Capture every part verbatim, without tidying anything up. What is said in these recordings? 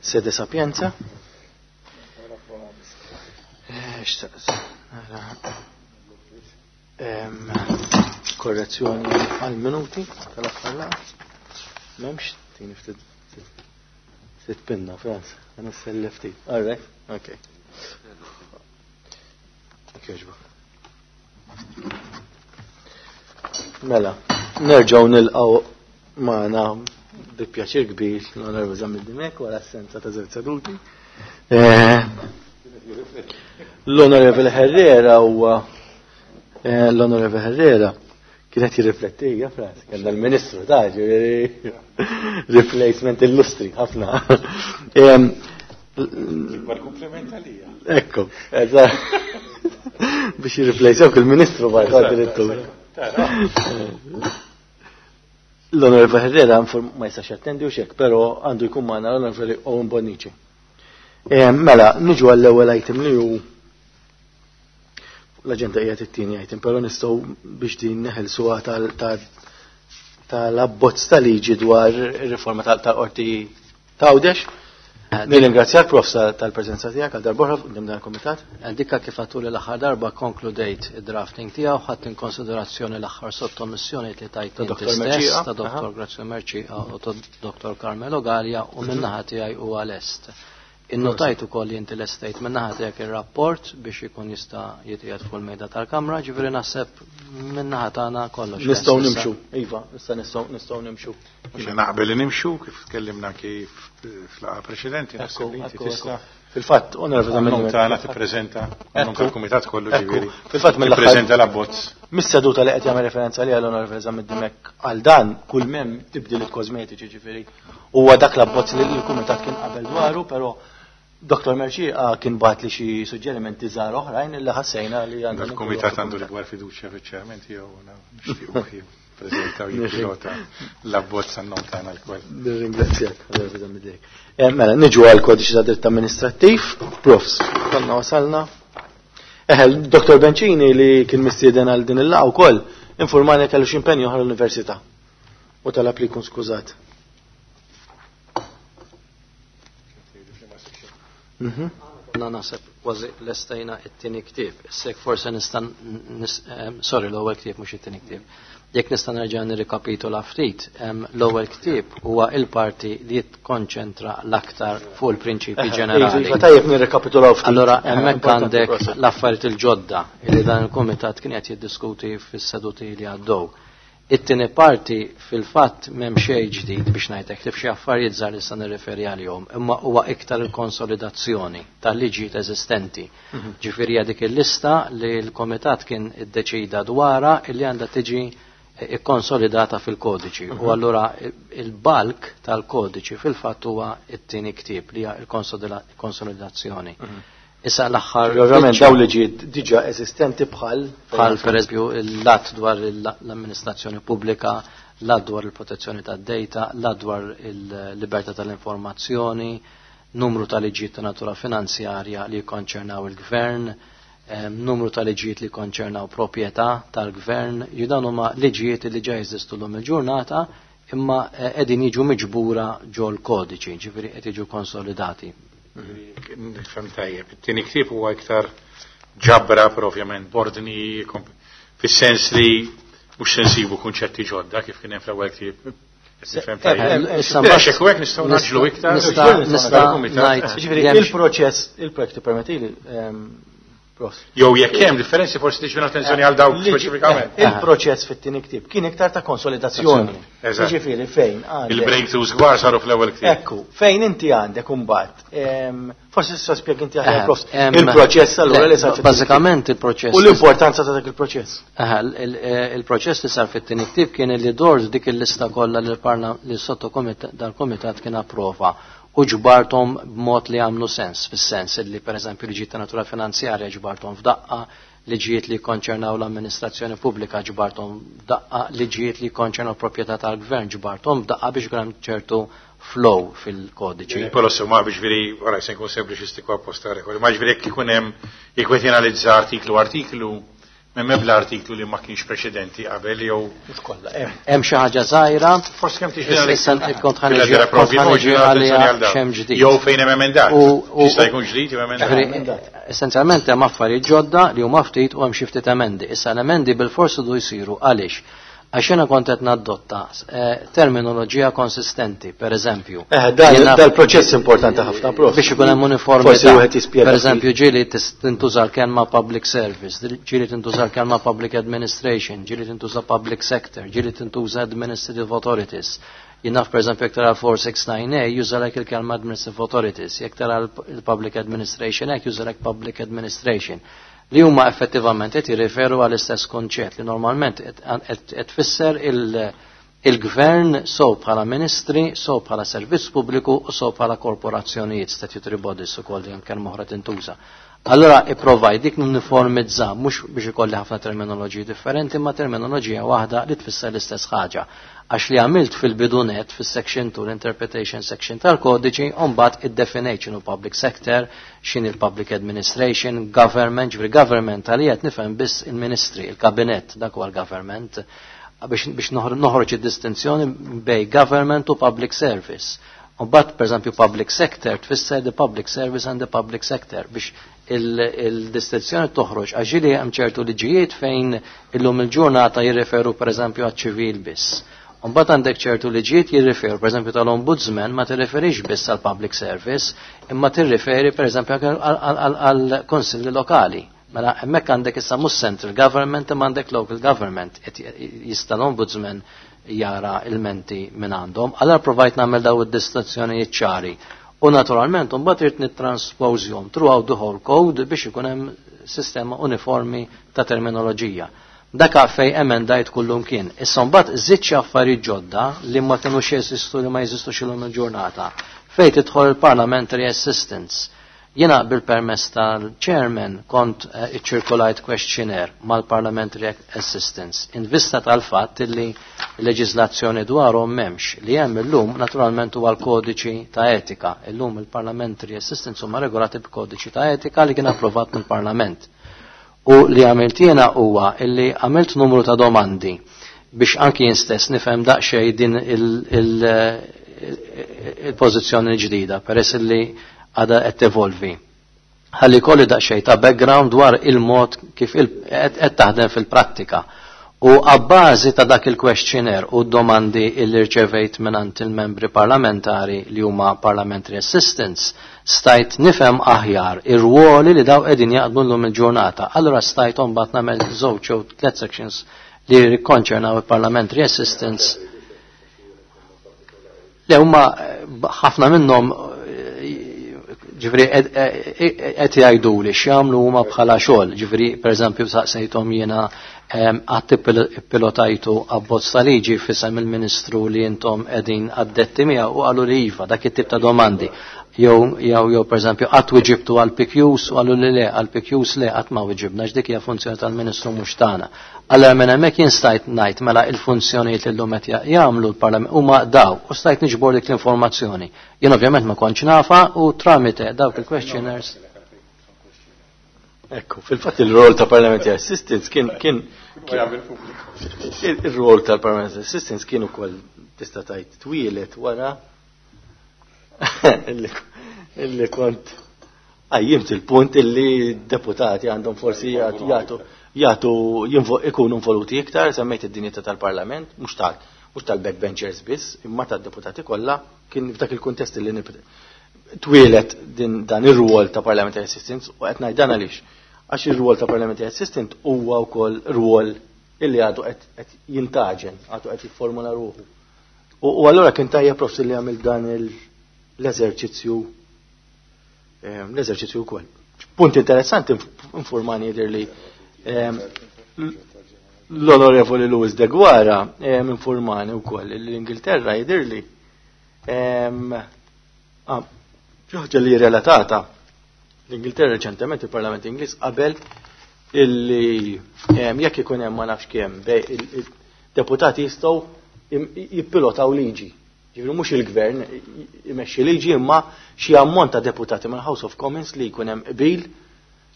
Sede Sapienza. Eh, xtaqt, nara. Em, Korrezzjoni għal-minuti tal-aħħar laqgħa. M'hemmx tini ftit ftit pinna, Franz. Għana sellef ftit. All right, okay. Jogħġbok. Mela, nerġgħu nilqgħu magħna bi pjaċir kbir l-Onorevoli Zammit Dimech wara assenza ta' żewġ seduti. Eh, L-Onorevoli Herrera huwa eh, l-Onorevoli Herrera kienet jirrifletti, ja Franz, kellna l-Ministru ta' ġifieri replacement illustri ħafna. Em, Ikbar kompliment għalija. Ekku, eżatt. Biex jirreplacewk il-Ministru barra addirittura. L-Onorevoli Herrera inform ma jistax jattendi u xek, pero għandu jkun magħna l-Onorevoli Owen Bonnici. Eh, Mela, niġu għall-ewwel item li hu l-aġenda hija it-tieni item, però nistgħu biex din neħelsuha tal- tal- tal-abbozz ta' liġi dwar ir-riforma tal-qorti ta' Għawdex. Nirringrazzjak Prof tal-preżenza tiegħek għal darb'oħra quddiem dan il-kumitat. Dikka kif għatuli l-aħħar darba konkludejt id-drafting tiegħu, ħadd in konsiderazzjoni l-aħħar sottomissjoni li tajt Ta' inti Dottor stess, Mercieca. ta' Dottor Aha. Grazio Mercieca u ta' Dottor Carmelo Gallia u min-naħa tiegħi huwa lest. Innotajt ukoll li inti lestejt min-naħa tiegħek ir-rapport biex ikun jista' jitqiegħed fuq il-mejda tal-Kamra, ġifieri naħseb min-naħa tagħna kollox. Nistgħu lest issa. nimxu, iva, issa nistgħu nistgħu nimxu. Jiena naqbel li nimxu kif tkellimna kif fl-laqgħa preċedenti, naħseb li inti Ekku, ekku. tista' Fil-fatt, Onorevoli Zammit għan-nom Dimech. tagħna tippreżenta għan-nom Ekku. tal-kumitat kollu Ekku. ġifieri. Fil-fatt mill-aħħar Tippreżenta l-abbozz. Mis-seduta li qed jagħmel referenza li għall-Onorevoli Zammit Dimech għal dan kull mem tibdiliet kosmetiċi ġifieri. Huwa dak l-abbozz li l-kumitat kien qabel dwaru, però Dottor Mercieca kien bagħat li xi suġġerimenti żgħar oħrajn li ħassejna li għandna Dal-kumitat għandu l-ikbar fiduċja fiċ-chairman tiegħu nixtiequ jippreżenta u jippilota l-abbozz għan-nom tagħna lkoll. Nirringrazzjak, Onorevoli Zammit Dimech. Eh, Mela, niġu għal kodiċi ta' dritt amministrattiv, profs, konna wasalna. Eħe, Dottor Bencini li kien mistieden għal din il-laqgħa wkoll informani kellu xi impenju oħra l-università. U talab li jkun skużat. Mhm. Na naħseb kważi lestejna it-tieni ktieb. Issa jekk forse nista' nis-, em, sorry, l-ewwel ktieb mhux it-tieni ktieb. Jekk nista' nerġa' nirrikapitula ftit, em, l-ewwel ktieb huwa il-parti li jitkonċentra l-aktar fuq il-prinċipji Eħe, ġenerali. Iva, tajjeb nirrikapitulaw ftit. Allora Eħe, hemmhekk importanti għandek proset. l-affarijiet il-ġodda li dan il-kumitat kien qed jiddiskuti fis-seduti li għaddew. It-tieni parti fil-fatt m'hemm xejn ġdid biex ngħidlek li f'xi affarijiet żgħar li se nirreferi għalihom, imma huwa iktar il-konsolidazzjoni tal-liġijiet eżistenti. Mhm. Ġifieri hija dik il-lista li l-komitat kien iddeċida dwarha illi għandha tiġi ikkonsolidata fil-kodiċi. U Mhm. allura il-bulk tal-kodiċi fil-fatt huwa it-tieni ktieb li hija l-konsolidazzjoni. Mhm. Issa l-aħħar Ovvjament biċċa- dawn liġijiet diġà eżistenti bħal bħal per eżempju l-att dwar l-amministrazzjoni pubblika, l-att dwar il-protezzjoni tad-data, l-att dwar il-libertà tal-informazzjoni, numru ta' liġijiet ta' natura finanzjarja li jikkonċernaw il-gvern, em, numru ta' liġijiet li jikkonċernaw proprjetà tal-gvern, ju dan huma liġijiet li ġa jeżistu llum il-ġurnata imma eh, qegħdin jiġu miġbura ġol kodiċi, ġifieri qed jiġu konsolidati. Nifhem tajjeb. It-tieni ktieb huwa iktar ġabra, però ovvjament bordni komp-, fis-sens li mhux se nsibu kunċetti ġodda kif kien hemm fl-ewwel ktieb. Nifhem tajjeb. Eh, issa Biex mbagħad hekk u hekk nistgħu naġlu iktar. nista' nista' ngħid Ġifieri li hemm il-proċess, il-projekt permettili, ehm, Prof. Jew jekk hemm differenzi forsi tiġbed attenzjoni għal dawk Liġi- speċifikament. eh, Il-proċess fit-tieni ktieb kien iktar ta' konsolidazzjoni. Eżatt. Ġifieri fejn għandek. Il-breakthroughs kbar saru fl-ewwel ktieb. Ekku, fejn inti għandek imbagħad, ehm, forsi tista' spjeg inti aħjar Eh, Prof, em, il-proċess allura le, li sar fit-tieni Bażikament il-proċess. U l-importanza ta' dak il-proċess. Aha, il- il- il-proċess li sar fit-tieni ktieb kien li dort dik il-lista kollha li l-parla li sottokomitat dal-komitat kien approva u ġbartom b'mod li għamlu sens, fis-sens li pereżempju liġijiet ta' natura finanzjarja ġbartom f'daqqa, liġijiet li konċernaw l-amministrazzjoni pubblika ġbartom f'daqqa, liġijiet li konċernaw proprjetà tal-gvern ġbartom f'daqqa biex ikun hemm ċertu flow fil-kodiċi. Però se ma biex veri, ora se nkun sempliċistiku apposta rekord, ma ġifieri jekk ikun hemm jekk qed jenalizza artiklu artiklu, M'hemm ebda artiklu li ma kienx preċedenti qabel jew Mhux kollha, hemm hemm xi ħaġa żgħira. Forsi kemm tixtieq Issa kont ħa niġi kont ħa niġi għaliha x'hemm ġdid. Jew fejn hemm emendat. U- u- Jista' jkun ġdid jew emendat. Ġifieri, essenzjalment hemm affarijiet ġodda li huma ftit u hemm xi ftit emendi. Issa l-emendi bil-forsi du jsiru għaliex? Għax jiena kont qed nadotta eh, terminoloġija konsistenti, per eżempju. Eh, dan Jiena- dal-proċess importanti ħafna, prof. Biex ikun hemm Forsi uniformità. wieħed jispjega Per eżempju, ġieli tis- tintuża l-kelma public service, ġieli tintuża l-kelma public administration, ġieli tintuża public sector, ġieli tintuża administrative authorities. Jien naf per eżempju jekk tara four six nine A jużalek il-kelma administrative authorities, jekk tara l-Public Administration Act jużalek public administration, li huma effettivament qed jirriferu għall-istess konċett li normalment qed qed tfisser il- il-gvern so bħala ministri, so bħala servizz pubbliku u so bħala korporazzjonijiet, statutory bodies ukoll li hemm kelma oħra tintuża. Allora ipprovaj dik nuniformizza mhux biex ikolli ħafna terminoloġiji differenti, ma terminoloġija waħda li tfisser l-istess ħaġa. Għax li għamilt fil-bidunet fis-section two, l-interpretation section tal-kodiċi, mbagħad iddefinejt x'inhu public sector, x'inhi il-public administration, government, ġifieri government għalija qed nifhem biss il-ministri, il-kabinett, dak huwa l-government, biex, biex noħroġ id-distinzjoni bej government u public service. U mbagħad, per eżempju, public sector tfisser the public service and the public sector biex il-distinzjoni toħroġ, għax ġieli hemm ċertu liġijiet fejn illum il-ġurnata jirreferu per eżempju għaċ-ċivil biss. U mbagħad għandek ċertu liġijiet jirreferu, per eżempju tal-ombudsman ma tirreferix biss għal public service, imma tirreferi per eżempju għal konsilli lokali. Mela hemmhekk għandek issa mhux central government imma għandek local government. Jista' l-ombudsman jara ilmenti minn għandhom. Allora provajt nagħmel daw id-distinzjonijiet ċari. U naturalment mbagħad irid nittransposjhom throughout the whole code biex ikun hemm sistema uniformi ta' terminoloġija. Daka fej emendajt kullum kien. Issa mbagħad żidt xi affarijiet ġodda li ma kinux jeżistu, li ma jeżistux illum il-ġurnata. Fej tidħol il-parliamentary assistants. Jiena bil-permess tal-chairman kont uh, iċċirkolajt questionnaire mal-parliamentary assistants in vista tal-fatt li leġislazzjoni dwarhom m'hemmx. Li hemm illum naturalment huwa l-kodiċi ta' etika. Illum il-parliamentary assistants huma regolati b'kodiċi ta' etika li kien approvat mill-Parlament. U li għamilt jiena huwa illi għamilt numru ta' domandi biex anki jien stess nifhem daqsxejn din il-pożizzjoni ġdida peress li għada qed tevolvi. Ħalli kolli daqsxejn ta' background dwar il-mod kif qed taħdem fil-prattika. U għabbażi ta' dak il-questionnaire u domandi illi rċevejt mingħand il-membri parlamentari li huma parliamentary assistants, stajt nifhem aħjar ir-ruoli li daw qegħdin jaqdmu llum il-ġurnata. Allura stajt mbagħad nagħmel żewġ jew tliet sections li jikkonċernaw il-parliamentary assistants. Le, huma ħafna minnhom, ġifieri, qed jgħidu li x'jagħmlu huma bħala xogħol, ġifieri pereżempju saqsejthom jiena: qatt pilotajtu abbozz ta' liġi f'isem il-Ministru li intom qegħdin addetti miegħu? U qalu li iva, dak it-tip ta' domandi. Jew jew jew pereżempju qatt wiġibtu għal P Qs? U qalu li le, għal P Qs le, qatt ma wiġibna, x'dik hija funzjoni tal-Ministru, mhux tagħna. Allora minn hemmhekk jien stajt ngħid mela il-funzjonijiet li llum qed jagħmlu l-Parlament huma daw u stajt niġbor dik l-informazzjoni. Jien ovvjament ma kontx nafa u tramite dawk il-questionnaires. Ekku, fil-fatt il-rol ta' Parliamentary Assistants kien kien il-rol tal-Parliamentary Assistants kien ukoll tista' tgħid twieled wara illi kont qajjimt il-punt illi deputati għandhom forsi jagħtu jagħtu ikunu involuti iktar, semmejt id-dinjità tal-Parlament, mhux tal mhux tal-backbenchers biss, imma tad-deputati kollha. Kien f'dak il-kuntest illi twieled din dan ir-rwol ta' Parliamentary Assistants u qed ngħid dan għaliex. Għax ir-rwol ta' Parliamentary Assistant huwa wkoll rwol illi għadu qed jintaġen, għadu qed jifformula ruħu. U allura kien tajjeb, profs, li għamil dan l-eżerċizzju ehm, l-eżerċizzju wkoll. Punt interessanti, informani jidher li ehm, l-Onorevoli Louis de Guara ehm, informani wkoll li l-Ingilterra jidher li ah, ħaġa li relatata, l-Ingilterra reċentement il-Parlament Ingliż qabel illi jekk ikun hemm ma nafx kemm deputati jistgħu jippilotaw liġi. Ġifieri mhux il-gvern imexxi liġi imma xi ammont ta' deputati mal-House of Commons li jkun hemm qbil,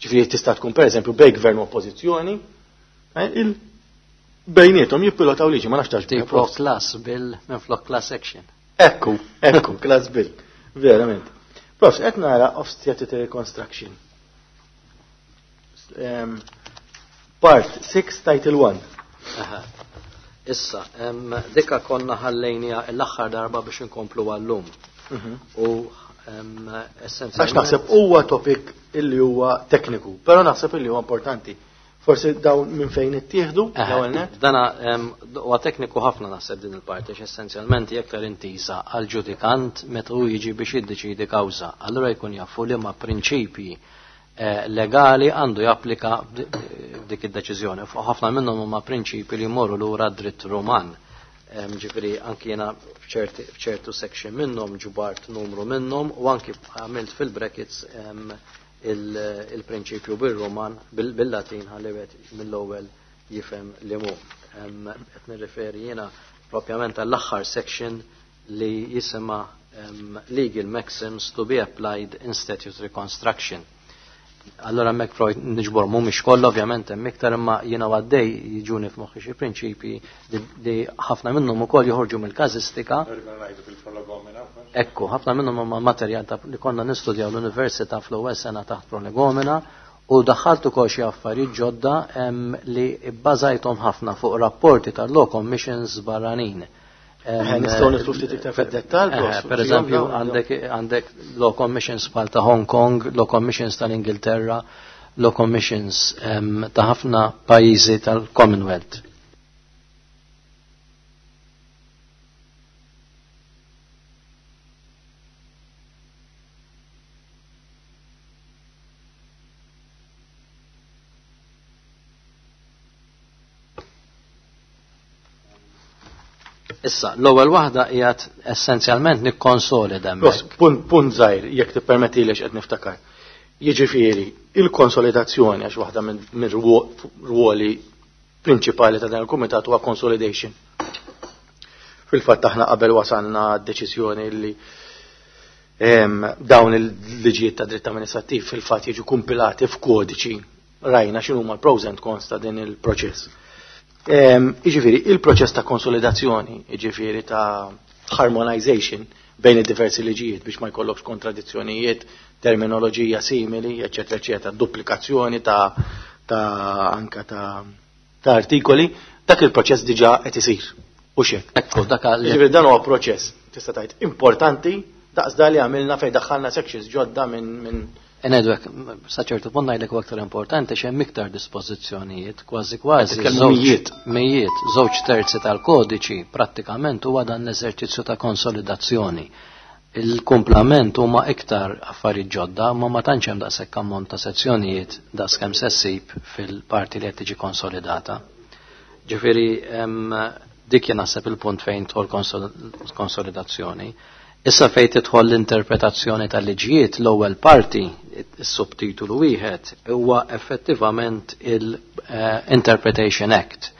ġifieri tista' tkun pereżempju bej gvern u oppożizzjoni. Eh, bejnietom jippilotaw liġi, ma nafx Tipo class bill minflok class action. Ekku, ekku, class bill. Verament. Prof, qed nara of statutory construction. Um, part six, title one. Aha. Issa, em, dika konna ħallejnija l-aħħar darba biex inkomplu għallum. U em, essenzjalment. Għax naħseb huwa topic illi huwa tekniku, però naħseb illi huwa importanti. Forsi dawn minn fejn ittieħdu l-ewwel net? Dana em, huwa tekniku ħafna naħseb din il-parti, għax essenzjalment hija aktar intiża għal ġudikant meta hu jiġi biex jiddeċidi kawża. Allura jkun jafu liema prinċipji eh, legali għandu japplika f'dik id-deċiżjoni. Fuq ħafna minnhom huma prinċipji li jmorru lura dritt Ruman. Em, Ġifieri anki jiena f'ċerti- f'ċertu section minnhom ġbart numru minnhom u anki għamilt fil-brackets em, il- il-prinċipju bil-Roman, bil- bil-Latin ħalli wieħed mill-ewwel jifhem li mu. Em, Qed nirriferi jiena propjament għall-aħħar section li jisimha em, Legal Maxims to be applied in Statutory Construction. Allora hemmhekk Freud niġbor mhumiex kollha ovvjament hemm iktar imma jiena għaddej jiġuni f'moħħi xi prinċipji li, li ħafna minnhom ukoll joħorġu mill-każistika. Ekku, ħafna minnhom huma materjal ta' li konna nistudjaw l-università fl-ewwel sena taħt prolegomena u daħħalt ukoll xi affarijiet ġodda em, li bbażajthom ħafna fuq rapporti tal-law commissions barranin. Em, Eh, nistgħu nidħlu ftit iktar fid-dettall, Eh, prof, Per eżempju, dawn- għandek għandek law commissions bħal ta' Hong Kong, law commissions tal-Ingilterra, law commissions em, ta' ħafna pajjiżi tal-Commonwealth. Issa, l-ewwel waħda qiegħed essenzjalment nikkonsolida Prof, hemmhekk. punt, punt żgħir, jekk tippermetti li qed niftakar. Jiġifieri, il-konsolidazzjoni għax waħda minn minn rwo- ruoli prinċipali ta' dan il-kumitat huwa consolidation. Fil-fatt aħna qabel wasalna d-deċiżjoni li em, dawn il-liġijiet ta' dritt amministrattiv fil-fatt jiġu kumpilati f'kodiċi rajna x'inhuma l-pros and cons ta' din il-proċess. Em, Jiġifieri, il-proċess ta' konsolidazzjoni, jiġifieri ta' harmonization bejn id-diversi liġijiet biex ma jkollokx kontradizzjonijiet, terminoloġija simili, eċetera, eċetera, duplikazzjoni ta' ta' anka ta' ta' artikoli, dak il-proċess diġà qed isir. U xek. Ekku, dak li Jiġifieri dan huwa proċess, tista' tgħid importanti daqs da li għamilna fejn daħħalna sections ġodda minn min Ngħidu hekk, sa ċertu punt ngħidlek huwa aktar importanti x'hemm iktar dispożizzjonijiet, kważi kważi Qed titkellmu żewġ- mijiet. mijiet, żewġ terzi tal-kodiċi prattikament huwa dan l-eżerċizzju ta' konsolidazzjoni. Il-kumplament huma iktar affarijiet ġodda, ma ma tantx hemm daqshekk ammont ta' sezzjonijiet daqskemm se ssib fil-parti li qed tiġi konsolidata. Ġifieri hemm dik jien naħseb il-punt fejn tidħol konsol- konsolidazzjoni. Issa fejn tidħol l-interpretazzjoni tal-liġijiet, l-ewwel parti, is-subtitolu wieħed, huwa effettivament il-Interpretation Act.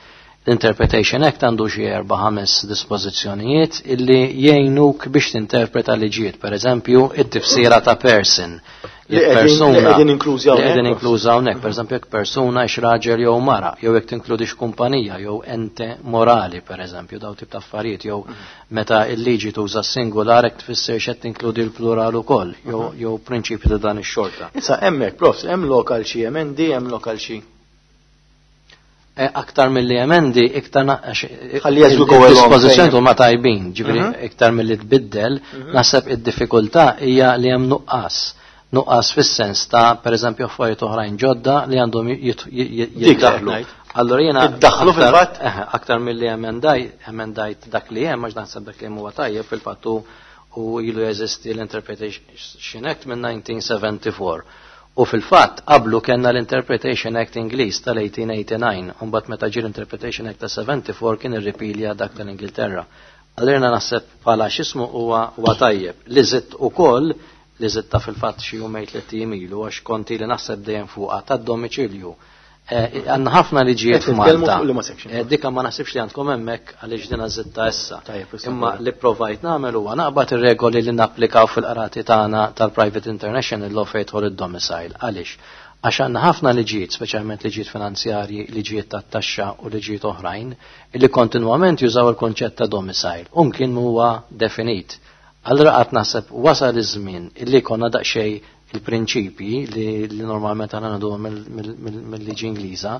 L-Interpretation Act għandu xi erba' ħames dispożizzjonijiet illi jgħinuk biex tinterpreta liġijiet, per eżempju, it-tifsira ta' person. Li Jekk qegħdin- li persuna- qegħdin inklużi li hawnhekk, qegħdin prof. inkluża hawnhekk, per eżempju, jekk persuna hix raġel jew mara, jew jekk tinkludix kumpanija jew ente morali, per eżempju, daw tip ta' affarijiet, jew meta l-liġi tuża singular hekk tfisser x'qed tinkludi l-plural ukoll, jew jew prinċipju ta' dan ix-xorta. Issa hemmhekk, prof, hemm lokal xi emendi, hemm lokal xi. E, Aktar mill-li emendi, iktar na- għax- Ħalli as we go along, il-dispożizzjoni fejn- huma tajbin, ġifieri Mhm. iktar mill-li tbiddel, naħseb id-diffikultà hija li hemm nuqqas. Nuqqas fis-sens ta' pereżempju affarijiet oħrajn ġodda li għandhom jit- jit- Dik jiddaħlu. qed ngħid. Allora jiena Iddaħħlu aktar- fil-fatt? eh, aktar mill-li emendaj, emendajt dak li hemm għax naħseb dak li hemm huwa tajjeb fil-fatt u u ilu jeżisti l-Interpretation Act minn nineteen seventy-four. U fil-fatt qablu kellna l-Interpretation Act Ingliż tal-eighteen eighty-nine, u mbagħad meta ġie l-Interpretation Act ta' seventy-four kien irripilja dak tal-Ingilterra. Allura naħseb bħala x'ismu huwa huwa tajjeb. Li żidt ukoll, li żidta fil-fatt xi jumejn tliet ijiem ilu għax konti li naħseb dejjem fuqha tad-domiċilju. Eh, għandna ħafna liġijiet Qed titkellmu f'Malta. fuq liema section? Eh, dika ma naħsibx li għandkom hemmhekk għaliex dina żidta issa. Tajjeb, issa Imma naqbel. li provajt nagħmel huwa naqbad ir-regoli li napplikaw fil-qrati tagħna tal-Private International Law fejn jidħol id-domicile. Għaliex? Għax għandna ħafna liġijiet, speċjalment liġijiet finanzjarji, liġijiet tat-taxxa u liġijiet oħrajn, illi kontinwament jużaw il-konċett ta' domicile, u mkien huwa definit. Allura qatt naħseb wasal iż-żmien illi konna daqsxejn il-prinċipji li, li normalment għandna ngħiduhom mill-liġi Ingliża,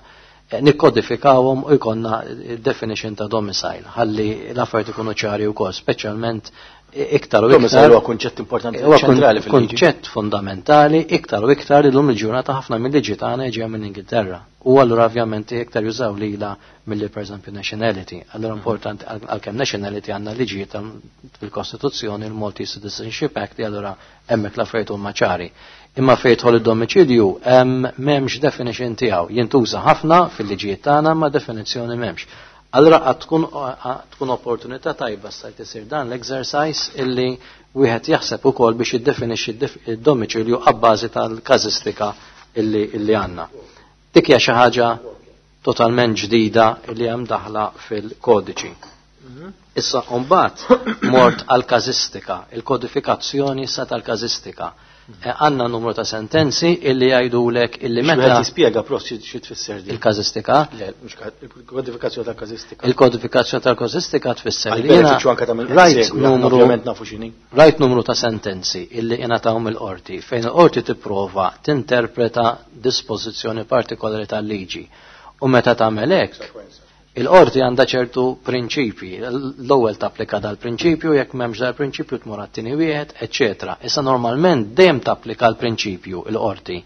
eh, nikkodifikawhom u jkollna definition ta' domicile, ħalli l-affarijiet ikunu ċari wkoll, speċjalment iktar u iktar. Domicile huwa kunċett importanti Huwa ċentrali fil-liġi. kunċett fundamentali iktar u iktar illum il-ġurnata ħafna mill-liġi tagħna ġejja minn Ingilterra. U allura ovvjament iktar jużaw lila milli pereżempju nationality. Allura importanti għalkemm nationality għandna liġi fil-Kostituzzjoni, il-Maltese Citizenship Act, li allura hemmhekk l-affarijiet huma ċari. Imma fejn jidħol id-domiċilju hemm m'hemmx definition tiegħu. Jintuża ħafna fil-liġijiet tagħna, ma definizzjoni m'hemmx. Allura għad tkun, tkun opportunità tajba sa jsir dan l-exercise illi wieħed jaħseb ukoll biex jiddefinixxi id-domiċilju abbażi tal-każistika illi, illi għandna. Dik hija xi ħaġa totalment ġdida illi hemm daħla fil-kodiċi. Issa mbagħad mort għal-każistika, il-kodifikazzjoni sa tal-każistika. Għandna numru ta' sentenzi illi jgħidulek illi meta Wieħed jispjega, prof, xi xi tfisser din. Il-każistika? Le, mhux ka- il-kodifikazzjoni tal-każistika. Il-kodifikazzjoni tal-każistika tfisser li Għal benefiċċju anke ta' min rajt segwi, aħna numru ovvjament nafu x'inhi. Rajt numru ta' sentenzi illi ingħataw mill-qorti fejn il-qorti tipprova tinterpreta dispożizzjoni partikolari tal-liġi. U meta tagħmel hekk, il-qorti għandha ċertu prinċipji. L-ewwel tapplika dal-prinċipju, jekk m'hemmx dal-prinċipju tmur għat-tieni wieħed, eċċetera. Issa normalment dejjem tapplika l-prinċipju il-qorti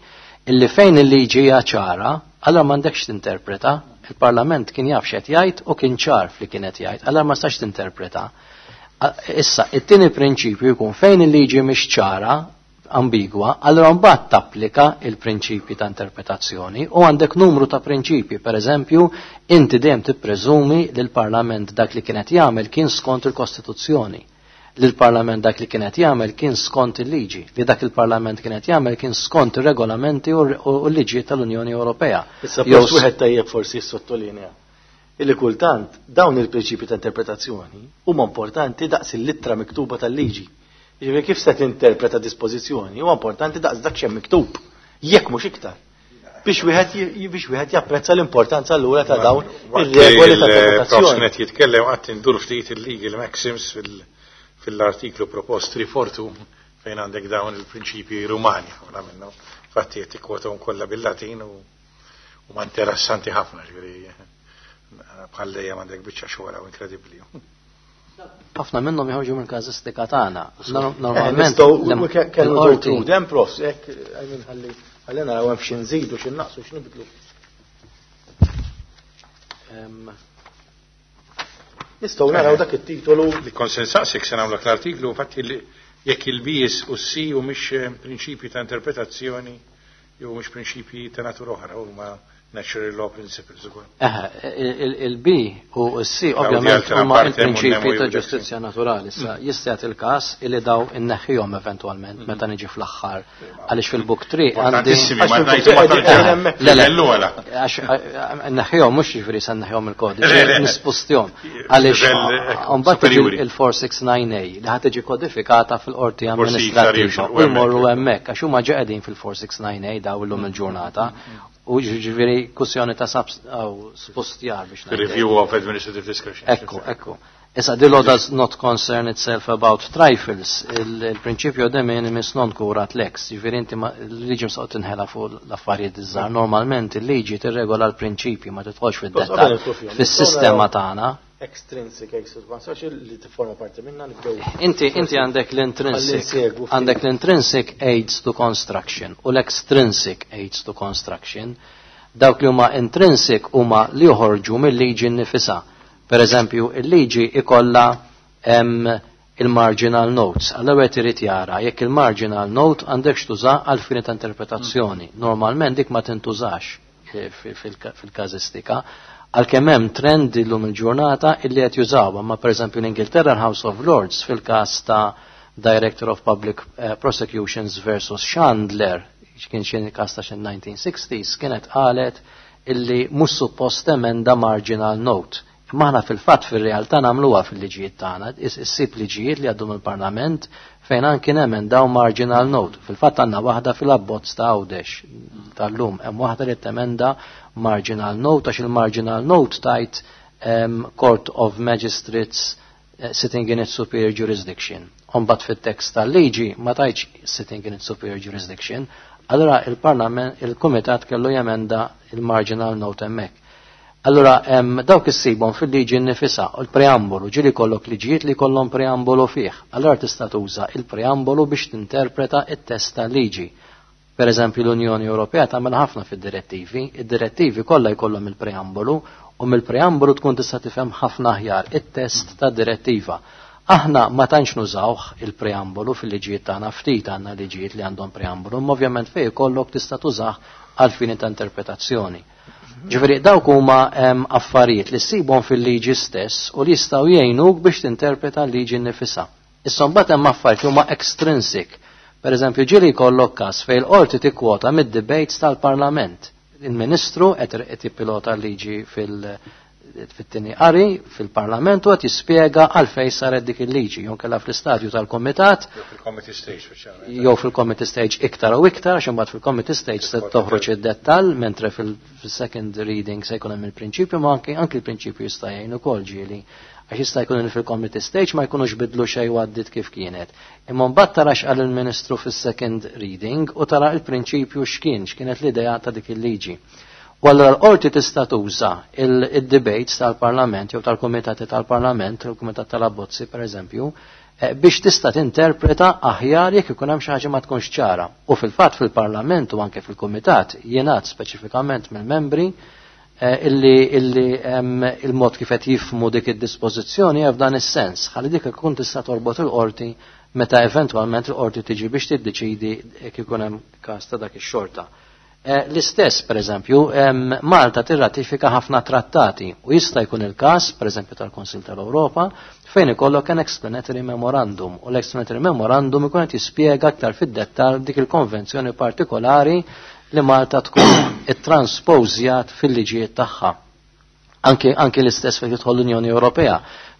illi fejn il-liġi hija ċara, allora m'għandekx tinterpreta. Il-Parlament kien jaf x'qed jgħid u kien ċar fli kien qed jgħid, allora ma stax tinterpreta. Issa, it-tieni prinċipju jkun fejn il-liġi mhix ċara, ambigwa, allora mbagħad tapplika il-prinċipji ta' interpretazzjoni u għandek numru ta' prinċipji. Per eżempju, inti dejjem tippreżumi li l-Parlament dak li kienet jagħmel kien skont il-Kostituzzjoni, li l-Parlament dak li kienet jagħmel kien skont il-liġi, li dak il-Parlament kienet jagħmel kien skont ir-regolamenti u l-liġi tal-Unjoni Ewropea. Issa post wieħed tajjeb forsi jissottolinja illi kultant dawn il-prinċipji ta' interpretazzjoni huma importanti daqs il-littra miktuba tal-liġi. Jiġifieri kif se tinterpreta dispożizzjoni huwa importanti daqs dak x'hemm miktub, jekk mhux iktar. Biex wieħed biex wieħed japprezza l-importanza allura ta' dawn ir-regoli ta' interpretazzjoni. Qed jitkellem qatt indur ftit il-legal maxims fil-artiklu propost rifortu fejn għandek dawn il-prinċipji Rumani ħafna minnhom. Infatti qed tikkwotahom kollha bil-Latin u huma interessanti ħafna, ġifieri bħal dejjem għandek biċċa xogħol inkredibbli. Ħafna minnhom joħorġu mill-każistika tagħna. Normalment kellu dem profs, hekk ħalli ħalli naraw hemm xi nżidu, xi naqsu, xi nibdlu. Nistgħu naraw dak it-titolu. Li konsensaqsik se nagħmlek l-artiklu, infatti jekk il-Bs u C u mhix prinċipji ta' interpretazzjoni jew mhux prinċipji ta' natura oħra, huma natural law principles ukoll. Eħe, il-B u s-C ovvjament huma il-prinċipji ta' ġustizzja naturali. Issa jista' jagħti il-każ illi daw inneħħihom eventwalment meta niġi fl-aħħar, għaliex fil-book three għandi Għax inneħħihom mhux jiġifieri se nneħħihom il-kodiċi, nispustihom. Għaliex mbagħad tiġi il-four six nine A li ħad tiġi kodifikata fil-qorti amministrattiva u jmorru hemmhekk għax huma ġa qegħdin fil-four six nine A daw illum il-ġurnata u ġifieri kwestjoni ta' spostjar biex Review of administrative discretion. Ekku, ekku. Issa, the law does not concern itself about trifles. Il-prinċipju de minimis non curat lex. Ġifieri inti l-liġi msaqt tinħela fuq l-affarijiet iż-żgħar. Normalment il-liġi tirregola l-prinċipji, ma tidħolx fid-dettall. Fis-sistema tagħna extrinsic, extrinsic, li tifforma parti minna nibdew. Inti inti għandek l-intrinsic, għandek l-intrinsic aids to construction u l-extrinsic aids to construction. Dawk li huma intrinsic huma li joħorġu mill-liġi nnifisha. Per eżempju, il-liġi ikolla il-marginal notes. Allora qed irid jara jekk il-marginal note għandek x'tuża għal fini ta' interpretazzjoni. Normalment dik ma tintużax fil-każistika, għalkemm hemm trend illum il-ġurnata illi qed jużawha, ma pereżempju l-Ingilterra, l-House of Lords, fil-każ ta' Director of Public eh, Prosecutions versus Chandler, kien xi każ ta' xi nineteen sixties, kienet qalet illi mhux suppost emenda marginal note. Imma aħna fil-fatt fir-realtà nagħmluha fil-liġijiet tagħna, issib liġijiet li għaddu mill-Parlament fejn anki nemendaw marginal note. Fil-fatt għandna waħda fil-abbozz ta' Għawdex tal-lum, hemm waħda li temenda marginal note għax il-marginal note tajt um, Court of Magistrates uh, sitting in its superior jurisdiction. Imbagħad fit-tekst tal-liġi ma tajtx sitting in its superior jurisdiction, allora il-Parlament, il-Kumitat kellu jemenda il-marginal note hemmhekk. Allora, em, dawk issibhom fil-liġi nnifisha, u l-preambolu, ġieli jkollok liġijiet li kollhom preambolu fih. Allora tista' tuża il-preambolu biex tinterpreta it-test tal-liġi. Per eżempju, l-Unjoni Ewropea tagħmel ħafna fid-direttivi, id-direttivi kollha jkollhom il-preambolu u mill-preambolu tkun tista' tifhem ħafna aħjar it-test tad-direttiva. Aħna ma tantx nużawh il-preambolu fil-liġijiet tagħna, ftit għandna liġijiet li għandhom preambolu, imma ovvjament fejn ikollok tista' tużah għal fini ta' interpretazzjoni. Ġifieri dawk huma affarijiet li ssibhom fil-liġi stess u li jistgħu jgħinuk biex tinterpreta l-liġi nnifisha. Issa mbagħad hemm affarijiet li huma extrinsic. Per eżempju, ġieli jkollok każ fejn il-qorti tikkwota mid-debates tal-Parlament. Il-Ministru qed jippilota l-liġi fil- fit-tieni qari fil-Parlament u qed jispjega għalfejn saret dik il-liġi, jew kellha fl-istadju tal-Komitat Jew fil-committee stage speċjalment. Jew fil-committee stage iktar u iktar, għax imbagħad fil-committee stage se toħroġ id-dettall, mentre fil-second reading se jkun hemm il-prinċipju, ma anke anke il-prinċipju jista' jgħin ukoll ġieli. Għax jista' jkun li fil-committee stage ma jkunux bidlu xejn u għaddit kif kienet. Imma mbagħad tara x'qal il-Ministru fis-second reading u tara il-prinċipju x'kien, x'kienet l-idea ta' dik il-liġi. U allura l-qorti tista' tuża il-debates tal-Parlament jew tal-Kumitati tal-Parlament, il-Kumitat tal-Abbozzi per eżempju, eh, biex tista' tinterpreta aħjar jekk ikun hemm xi ħaġa ma tkunx ċara. U fil-fatt fil-Parlament u anke fil-Kumitat jingħad speċifikament mill-membri eh, illi, illi il-mod kif qed jifhmu dik id-dispożizzjoni f'dan is-sens. Ħalli dik ikun tista' torbot il-qorti meta eventwalment il-qorti tiġi biex tiddeċidi jekk ikun hemm każ ta' dak ix-xorta. Eh, l-istess, per eżempju, Malta tirratifika ħafna trattati u jista' jkun il-każ, per eżempju, tal-Konsil tal-Ewropa, fejn ikollok an explanatory memorandum u l-explanatory memorandum ikun qed jispjega aktar fid-dettall dik il-konvenzjoni partikolari li Malta tkun ittranspozjat fil-liġijiet tagħha. Anke, anke l-istess fejn tidħol l-Unjoni Ewropea.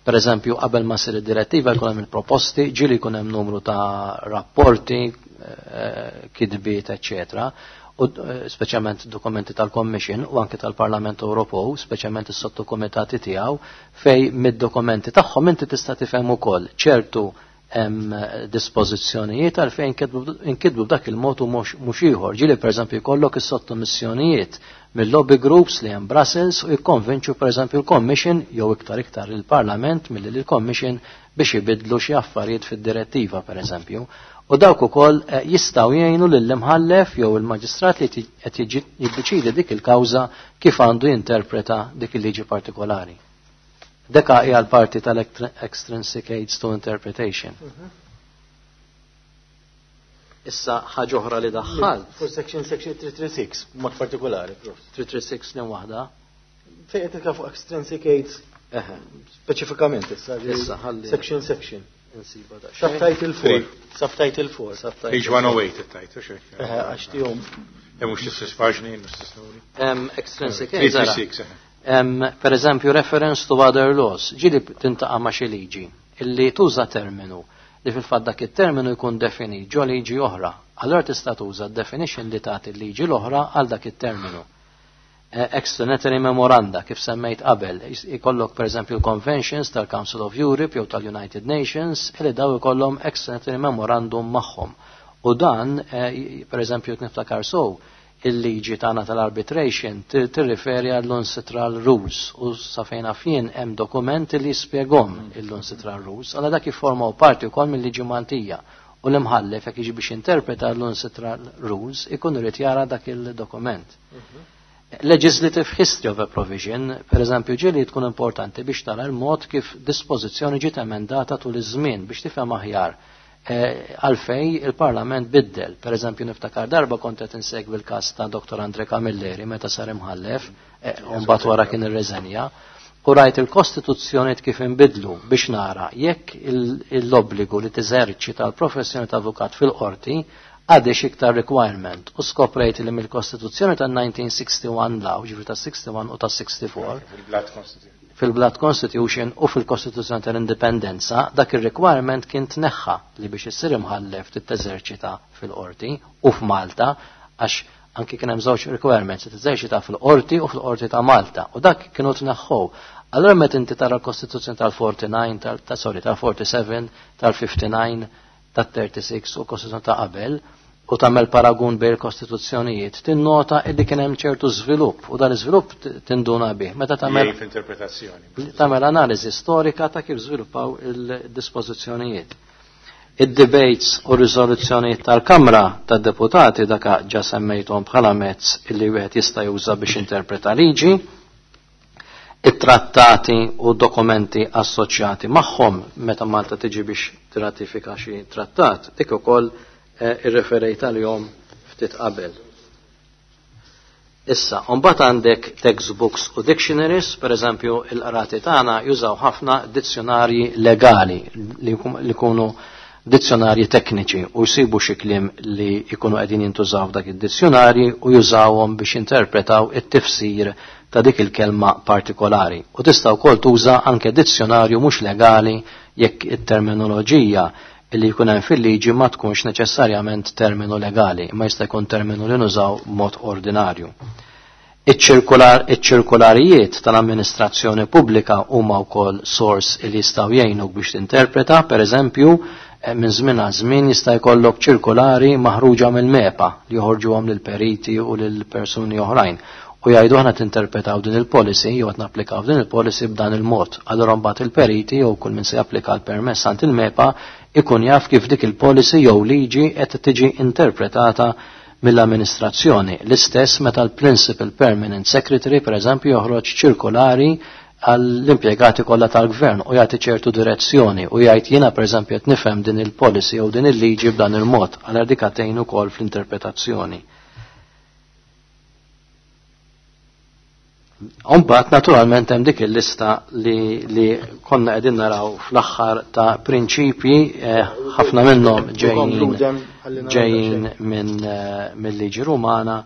Per eżempju, qabel ma ssir id-direttiva jkun hemm il-proposti, ġieli jkun hemm numru ta' rapporti, eh, kitbiet, eċċetera, u eh, speċjalment dokumenti tal-Commission u anke tal-Parlament Ewropew, speċjalment is-sottokomitati tiegħu, fej mid-dokumenti tagħhom inti tista' tifhem ukoll ċertu hemm dispożizzjonijiet għalfejn inkitbu b'dak il-mod u mhux ieħor. Ġieli pereżempju jkollok is-sottomissjonijiet mill-lobby groups li hemm Brussels u jikkonvinċu pereżempju l-Commission jew iktar iktar il-Parlament milli l-Commission biex ibidlu xi affarijiet fid-direttiva, pereżempju. U dawk ukoll eh, jistgħu jgħinu lill-imħallef jew il-maġistrat li qed jiddeċidi dik il-kawża kif għandu jinterpreta dik il-liġi partikolari. Deka hija l-parti tal-extrinsic aids to interpretation. Mhm. Issa ħaġa oħra li daħħal. For section section three three six, mod partikolari. three three six li waħda. Fejn qed fuq extrinsic aids speċifikament issa. Issa ħalli. Section section. Insiba da. Subtitle four. Subtitle four. Page one oh eight it-tajt, Għax tihom. Mhux l-istess paġni, l-istess numri. Extrinsic aids. Per eżempju, reference to other laws. Ġieli tiltaqa' ma' xi liġi illi tuża terminu li fil-fatt dak it-terminu jkun definit ġo liġi oħra. Allora tista' tuża definition li tagħti l-liġi l-oħra għal dak it-terminu. Eh, explanatory memoranda kif semmejt qabel, ikollok per eżempju l-conventions tal-Council of Europe jew tal-United Nations li daw ikollhom explanatory memorandum magħhom. U dan, eh, per eżempju, niftakar sow, il-liġi tagħna tal-arbitration tirriferi għall-UNCITRAL Rules u sa fejn jien hemm dokumenti li jispjegom il-UNCITRAL Rules, għala dak jiffurmaw parti wkoll mill-liġi Maltija u l-imħallef jekk jiġi biex interpreta l-UNCITRAL Rules ikun irid jara dak il-dokument. Mhm. Legislative history of a provision, per eżempju, ġieli tkun importanti biex tara l-mod kif dispożizzjoni ġiet emendata tul iż-żmien biex tifhem aħjar eh, għalfej il-Parlament biddel. Per eżempju, niftakar darba kont qed insegwi l-każ ta' Doktor Andre Camilleri meta sar imħallef, eh, u mbagħad wara kien irreżenja, u rajt il-Kostituzzjoni kif inbidlu biex nara jekk l-obbligu li teżerċita l-professjoni ta' avukat fil-qorti għadix iktar requirement u skoprejt li mill-Kostituzzjoni ta' elf disa' mija u wieħed u sittaw, ġifieri ta' wieħed u sittin u ta' sitta u sittin. Fil-Blood Constitution u fil-Kostituzzjoni tal-Indipendenza dak ir-requirement kien tneħħa li biex issir imħallef titteżerċita fil-qorti u f'Malta, għax anki kien hemm żewġ requirements, titeżerċita fil-qorti u fil-qorti ta' Malta, u dak kienu tneħħu. Allura meta inti tara l-Kostituzzjoni tal-forty-nine, tal, ta' sorry, tal-forty-seven, tal-fifty-nine, tat-thirty-six u l-Kostituzzjoni ta' qabel, u tagħmel paragun bejn il-kostituzzjonijiet, tinnota illi kien hemm ċertu żvilupp, u dan iż-żvilupp tinduna bih. Meta tagħmel interpretazzjoni, tagħmel analiżi storika ta' kif żviluppaw il-dispożizzjonijiet. Id-debates u riżoluzzjonijiet tal-Kamra tad-Deputati dak ġa semmejthom bħala mezz illi wieħed jista' juża biex interpreta liġi. It-trattati u dokumenti assoċjati magħhom meta Malta tiġi biex tirratifika xi trattat, dik ukoll irreferejt għalihom ftit qabel. Issa, mbagħad għandek textbooks u dictionaries, per eżempju il-qrati tagħna jużaw ħafna dizzjonarji legali li jkunu dizzjonarji tekniċi u jsibu xi kliem li jkunu qegħdin jintużaw f'dak id-dizzjonarji u jużawhom biex jinterpretaw it-tifsir ta' dik il-kelma partikolari. U tista' wkoll tuża anke dizzjonarju mhux legali jekk it-terminoloġija illi jkun hemm fil-liġi ma tkunx neċessarjament terminu legali, imma jista' jkun terminu li nużaw b'mod ordinarju. Iċ-ċirkularijiet tal-amministrazzjoni pubblika huma wkoll sors li jistgħu jgħinuk biex tinterpreta, per eżempju, minn żmien għal żmien jista' jkollok ċirkulari maħruġa mill-MEPA li joħorġuhom lill-periti u lill-persuni oħrajn u jgħidu aħna tinterpretaw din il-policy jew qed napplikaw din il-policy b'dan il-mod. Allura mbagħad il-periti jew kull min se japplika l-permess għand il-MEPA ikun jaf kif dik il-policy jew liġi qed tiġi interpretata mill-amministrazzjoni. L-istess meta l-Principal Permanent Secretary per eżempju joħroġ ċirkolari għall-impjegati kollha tal-gvern u jagħti ċertu direzzjoni u jgħid jiena per eżempju qed nifhem din il-policy jew din il-liġi b'dan il-mod, għal dik tgħin ukoll fl-interpretazzjoni. Mbagħad naturalment hemm dik il-lista li, li konna qegħdin naraw fl-aħħar ta' prinċipji, ħafna minnhom ġejjin ġejjin minn mill-liġi Rumana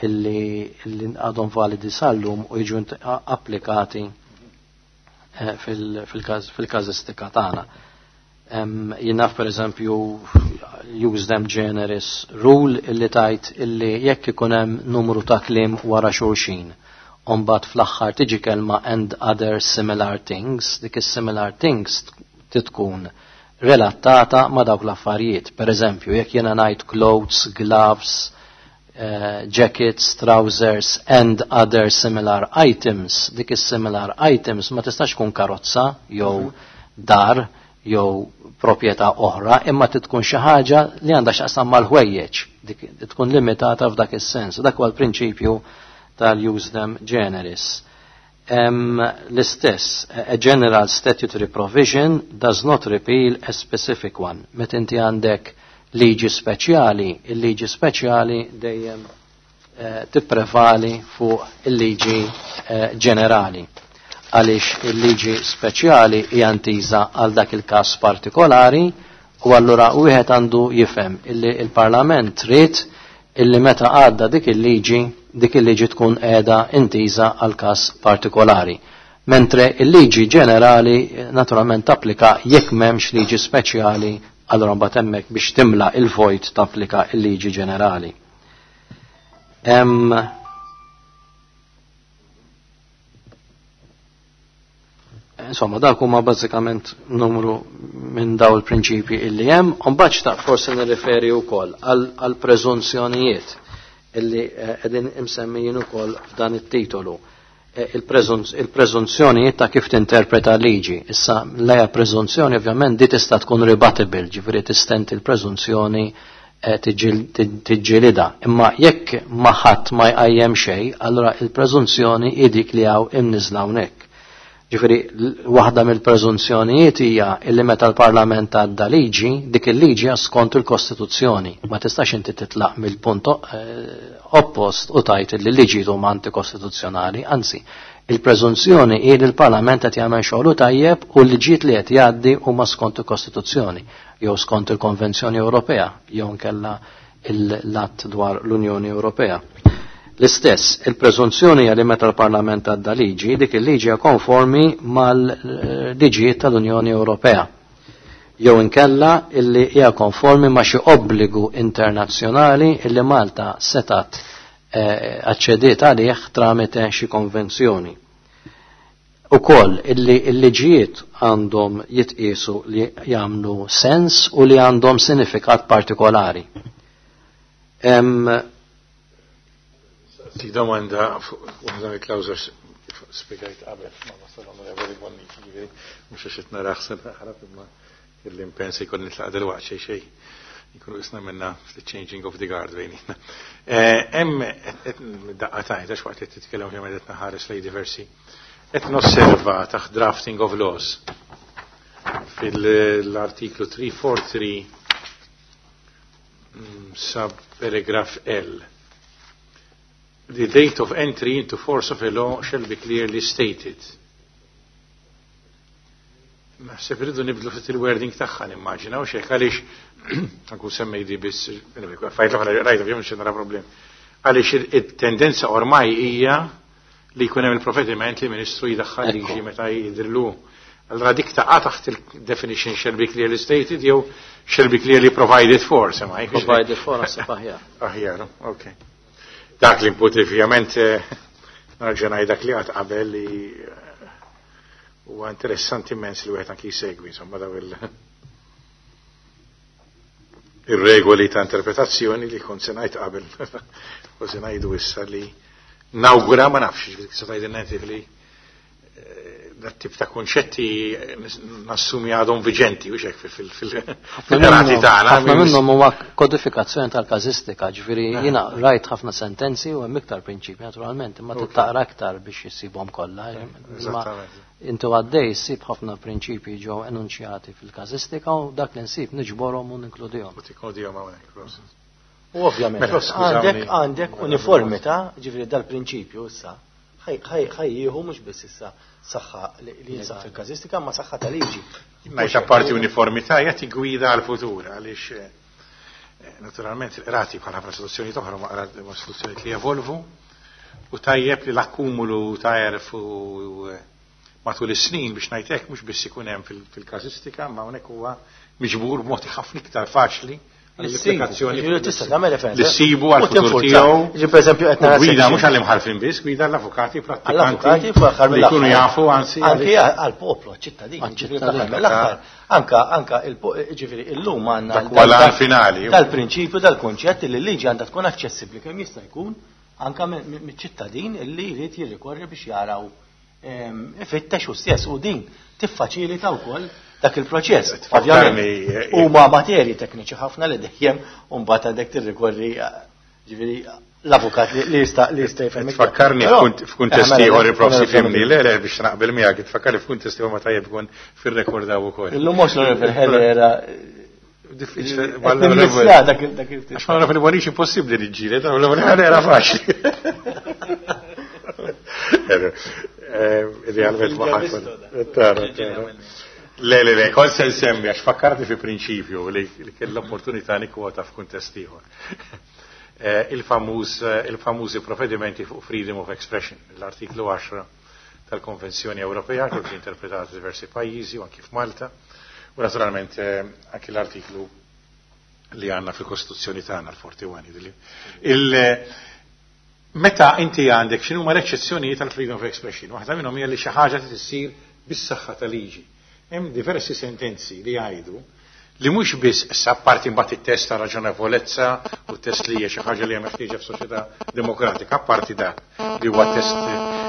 illi illi għadhom validi sal-lum u jiġu applikati fil-każistika tagħna. Jien naf per eżempju use them generis rule illi tajt illi jekk ikun hemm numru ta' kliem wara xulxin, mbagħad fl-aħħar tiġi kelma and other similar things, dik is-similar things titkun relatata ma' dawk l-affarijiet. Per eżempju, jekk jiena ngħid clothes, gloves, uh, jackets, trousers and other similar items, dik is-similar items ma tistax tkun karozza jew dar jew proprjetà oħra, imma tkun xi ħaġa li għandha x'taqsam mal-ħwejjeġ, dik tkun limitata f'dak is-sens. Dak huwa l-prinċipju tal-use them generis. Um, l-istess, a general statutory provision does not repeal a specific one. Meta inti għandek liġi speċjali, il-liġi speċjali dejjem eh, tipprevali fuq il-liġi eh, ġenerali. Għaliex il-liġi speċjali hija ntiża għal dak il-każ partikolari u allura wieħed għandu jifhem illi il-Parlament trid illi meta għadda dik il-liġi, dik il-liġi tkun qiegħda intiża għal każ partikolari. Mentre il-liġi ġenerali naturalment tapplika jekk m'hemmx liġi speċjali, allura mbagħad hemmhekk biex timla il-vojt tapplika il-liġi ġenerali. Hemm Insomma, dak huma bażikament numru minn daw il-prinċipji illi hemm, u mbagħad xtaq forsi nirriferi wkoll għal preżunzjonijiet illi qegħdin imsemmijin ukoll f'dan it-titolu. Il-preżunzjonijiet ta' kif tinterpreta liġi. Issa l-eja preżunzjoni ovvjament di tista' tkun rebuttable, ġifieri tistenti l-preżunzjoni tiġġielidha. Imma jekk ma ħadd ma jqajjem xejn, allura il-preżunzjoni hi dik li hawn imniżla hawnhekk. Ġifieri waħda mill-preżunzjonijiet hija illi meta l-Parlament għadda liġi, dik il-liġi skont il-Kostituzzjoni. Ma tistax inti titlaq mill-punt oppost u tajt li l-liġi huma antikostituzzjonali, anzi, il-preżunzjoni hi li l-Parlament qed jagħmel xogħlu tajjeb u l-liġijiet li qed jgħaddi huma skont il-Kostituzzjoni jew skont il-Konvenzjoni Ewropea jew nkella l-att dwar l-Unjoni Ewropea. L-istess, il-preżunzjoni hija li meta l-Parlament għadda liġi, dik il-liġi hija konformi mal-liġijiet tal-Unjoni Ewropea. Jew inkella illi hija konformi ma' xi obbligu internazzjonali illi Malta setat eh, aċċediet għalih tramite xi konvenzjoni. Ukoll illi l-liġijiet għandhom jitqiesu li jagħmlu sens u li għandhom sinifikat partikolari. Em, Tik domanda fuq waħda mill-klawżola spjegajt qabel ma wasal Onorevoli Bonnici, ġifieri mhux għax qed naraħ se naħrab imma kelli impenn se jkolli nitlaq dalwaqt xejn xejn. Nkunu isna minna changing of the guard bejnietna. Hemm daqqa tajt għax waqt li titkellem kemm qed naħares lej diversi. Qed nosserva taħt drafting of laws fil-artiklu tlieta tlieta erba' mm, sub paragraph L. The date of entry into force of a law shall be clearly stated. Naħseb irridu nibdlu ftit il-wording tagħha, nimmaġina, u xejn għaliex anku semmej di biss, fajt l-oħra rajta fjom nara problem. Għaliex it-tendenza ormai hija li jkun hemm il-provvediment li ministru jidaħħal liġi meta jidrillu. Allora dik taqa' taħt il-definition "shall be clearly stated" jew "shall be clearly provided for", semmai. Provided for naħseb aħjar. Aħjar, ok. Dak l-input ovvjament nerġa' ngħid dak li għad qabel li huwa interessanti immens li wieħed anki jsegwi insomma daw il ir-regoli ta' interpretazzjoni li kont se ngħid qabel u se ngħidu issa li nawgura, ma nafx se tgħidilna inti, li dat tip ta' konċetti nassumi għadhom viġenti u xek fil-qrati tagħna. Ħafna minnhom huwa kodifikazzjoni tal-każistika, ġifieri jiena rajt ħafna sentenzi u hemm iktar prinċipji naturalment, imma taqra iktar biex issibhom kollha. Imma intu għaddej ssib ħafna prinċipji ġew enunċjati fil-każistika u dak li nsib niġborhom u ninkludihom. U tikkludihom hawnhekk. U ovvjament għandek għandek uniformità, ġifieri dal-prinċipju issa ħa jieħu mhux biss issa saħħa li jinsab fil-każistika ma saħħa ta' liġi. Ngħid apparti uniformità jagħti gwida għal-futur għaliex eh, naturalment il-qrati bħala ħafna istituzzjoni oħra ma istituzzjoni li jevolvu u tajjeb li l-akkumulu ta' għerf u matul is-snin, biex ngħid hekk, mhux biss ikun hemm fil-każistika, ma hawnhekk huwa miġbur b'mod ħafna iktar faċli l-applikazzjoni. Tista' tagħmel referenza. Li ssibu għal-futur tiegħu. Ġi pereżempju qed nara gwida mhux għall-imħalfin biss, gwida l-avukati prattikanti li jkunu jafu anzi. Anki għall-poplu, għall-ċittadin. L-aħħar. Anka anka ġifieri illum għandna dak finali. Dal-prinċipju, dal-kunċett li l-liġi għandha tkun aċċessibbli kemm jista' jkun anka miċ-ċittadin illi jrid jirrikorri biex jaraw ifittex u stess u din tiffaċilita wkoll dak il-proċess. Ovvjament huma materji tekniċi ħafna li dejjem u mbagħad għandek tirrikorri ġifieri l-avukat li jista' li jista' jifhem. Tfakkarni f'kuntest ieħor, il-prof fimni, le le biex naqbel miegħek, tfakkarni f'kuntest ieħor ma tajjeb ikun fir-rekordaw ukoll. Illum mhux l-Onorevoli Herrera. Diffiċli. Għax ma naf li Bonnici impossibbli li ġġieled, l-Onorevoli era faċli. Idealment ma ħadd. Le, le, le, kont se nsemmi, għax fakkarti fi prinċipju li kell l-opportunità nikkwota f'kuntest ieħor. Il-famuż il-famużi provvedimenti fuq freedom of expression, l-artiklu għaxra tal-Konvenzjoni Ewropea, kif ġie interpretat diversi pajjiżi u anki f'Malta, u naturalment anki l-artiklu li għandna fil-Kostituzzjoni tagħna, l-erbgħa u għoxrin. Meta inti għandek x'inhu ma l-eċċezzjonijiet tal-freedom of expression, waħda minnhom hija li xi ħaġa tissir bis-saħħa tal-liġi. Hemm diversi sentenzi li jgħidu li mhux biss issa apparti mbagħad it-test ta' raġonevolezza u test li hija xi ħaġa li hija meħtieġa f'soċjetà demokratika, apparti dak li huwa test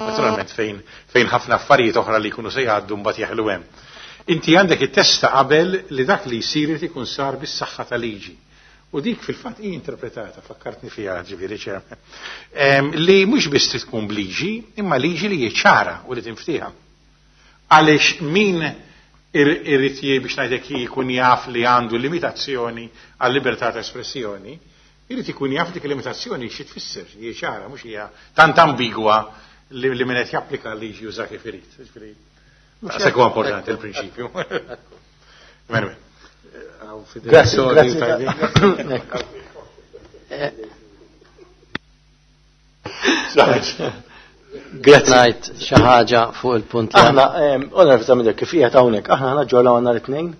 naturalment fejn fejn ħafna affarijiet oħra li jkunu se jgħaddu mbagħad jeħlu hemm. Inti għandek it-test ta' qabel li dak li jsir irid ikun sar bis-saħħa ta' liġi. U dik fil-fatt hi interpretata, fakkartni fiha ġifieri ċerm, li mhux biss trid tkun b'liġi, imma liġi li hi ċara u li tinftiehem. Għaliex min irrid biex ngħidlek jkun jaf li għandu limitazzjoni għal libertà ta' espressjoni, irid ikun jaf dik il-limitazzjoni xi tfisser, hi ċara, mhux hija tant ambigwa li, li min qed japplika l-liġi juża kif irid. Daqshekk huwa importanti il-prinċipju. Anyway. Grazie, grazie. Grazzi. Ngħid xi ħaġa fuq il-punt li Aħna, onorevoli Zamidek, kif qiegħed hawnhekk, aħna naġġornaw nhar it-tnejn?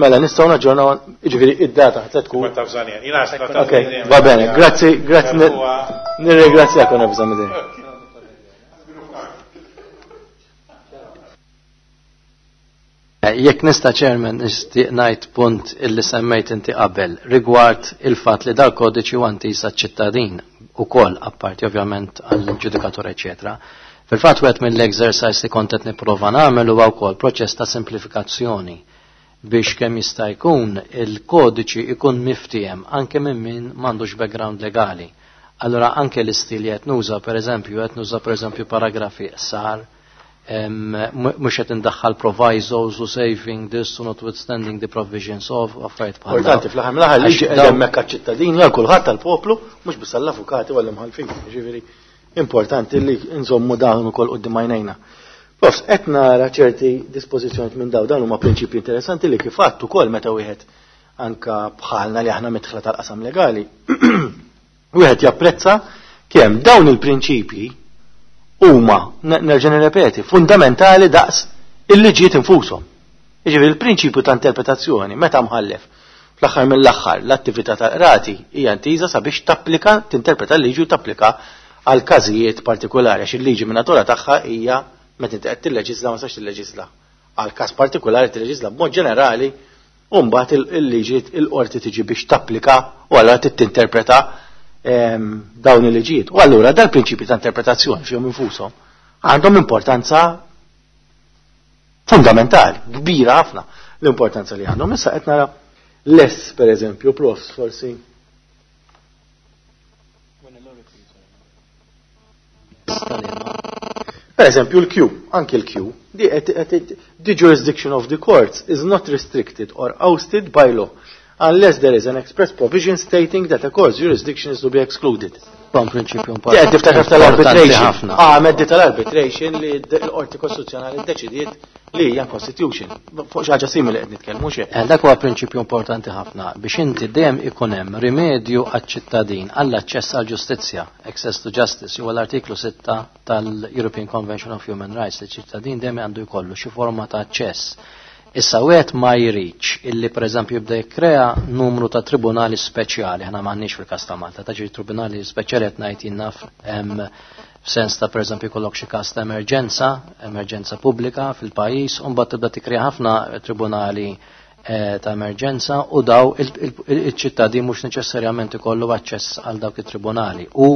Mela, nistgħu naġġornaw, jiġifieri id-data ħadd tkun. Ma tafżani, jiena Ok, va bene, grazzi, grazzi, nirringrazzjak onorevoli Zamidek. Jekk nista' Chairman nixtieq ngħid punt illi semmejt inti qabel rigward il-fatt li dal-kodiċi huwa intiż għaċ-ċittadin ukoll apparti ovvjament għall-ġudikatur eċetera. Fil-fatt wieħed mill-exercise li kont qed nipprova nagħmel huwa wkoll proċess ta' simplifikazzjoni biex kemm jista' jkun il-kodiċi ikun miftiehem anke minn min m'għandux background legali. Allura anke l-istil li qed nuża pereżempju qed nuża pereżempju paragrafi qsar, mhux qed indaħħal provisos u saving this u notwithstanding the provisions of affarijiet bħal dawn. Importanti fl-aħħar mill-aħħar liġi Għax qed dawn- hemmhekk għaċ-ċittadini għal kulħadd tal-poplu, mhux biss għall-avukati u għall-imħallfin. Jiġifieri importanti li nżommu dawn ukoll quddiem għajnejna. Profs, qed nara ċerti dispożizzjonijiet minn dawn, dawn huma prinċipji interessanti li kif għadt ukoll meta wieħed anka bħalna li aħna midħla tal-qasam legali, wieħed japprezza kemm dawn il-prinċipji huma, nerġa' nirrepeti, fundamentali daqs il-liġijiet infushom. Jiġifieri il-prinċipju ta' interpretazzjoni meta mħallef fl-aħħar mill-aħħar l-attività tal-qrati hija intiża sabiex tapplika, tinterpreta l-liġi u tapplika għal każijiet partikolari għax il-liġi minn natura tagħha hija meta inti qed tilleġisla ma sax tilleġisla għal każ partikolari tilleġisla b'mod ġenerali u mbagħad il-liġi il-qorti tiġi biex tapplika u allura tinterpreta dawn il-liġijiet. U allura dal-prinċipji ta' interpretazzjoni fihom infushom għandhom importanza fundamentali, kbira ħafna l-importanza li għandhom. Issa qed nara less, per eżempju, profs, forsi. Per eżempju, l-Q, anki l-Q, the, the jurisdiction of the courts is not restricted or ousted by law unless there is an express provision stating that a court's jurisdiction is to be excluded. Bon prinċipju Di qed tiftakar tal-arbitration. ħafna. Ah, meddi tal-arbitration li l-qorti kostituzzjonali ddeċidiet li hija constitution. Fuq xi ħaġa simili qed nitkellmu xi. Eh, Dak huwa prinċipju importanti ħafna biex inti dejjem ikun hemm rimedju għaċ-ċittadin għall-aċċess għall-ġustizzja, access to justice, huwa l-artiklu sitta tal-European Convention of Human Rights li ċittadin dejjem għandu jkollu xi forma ta' aċċess. Issa wieħed ma jridx illi pereżempju jibda jikkrea numru ta' tribunali speċjali, aħna m'għandniex fil-każ ta' Malta, ta' ġiri tribunali speċjali qed ngħid jien naf hemm f'sens ta' pereżempju jkollok xi każ ta' emerġenza, emerġenza pubblika fil-pajjiż, u mbagħad tibda tikkrea ħafna tribunali eh, ta' emerġenza u daw il-ċittadin mhux neċessarjament ikollu aċċess għal dawk it-tribunali u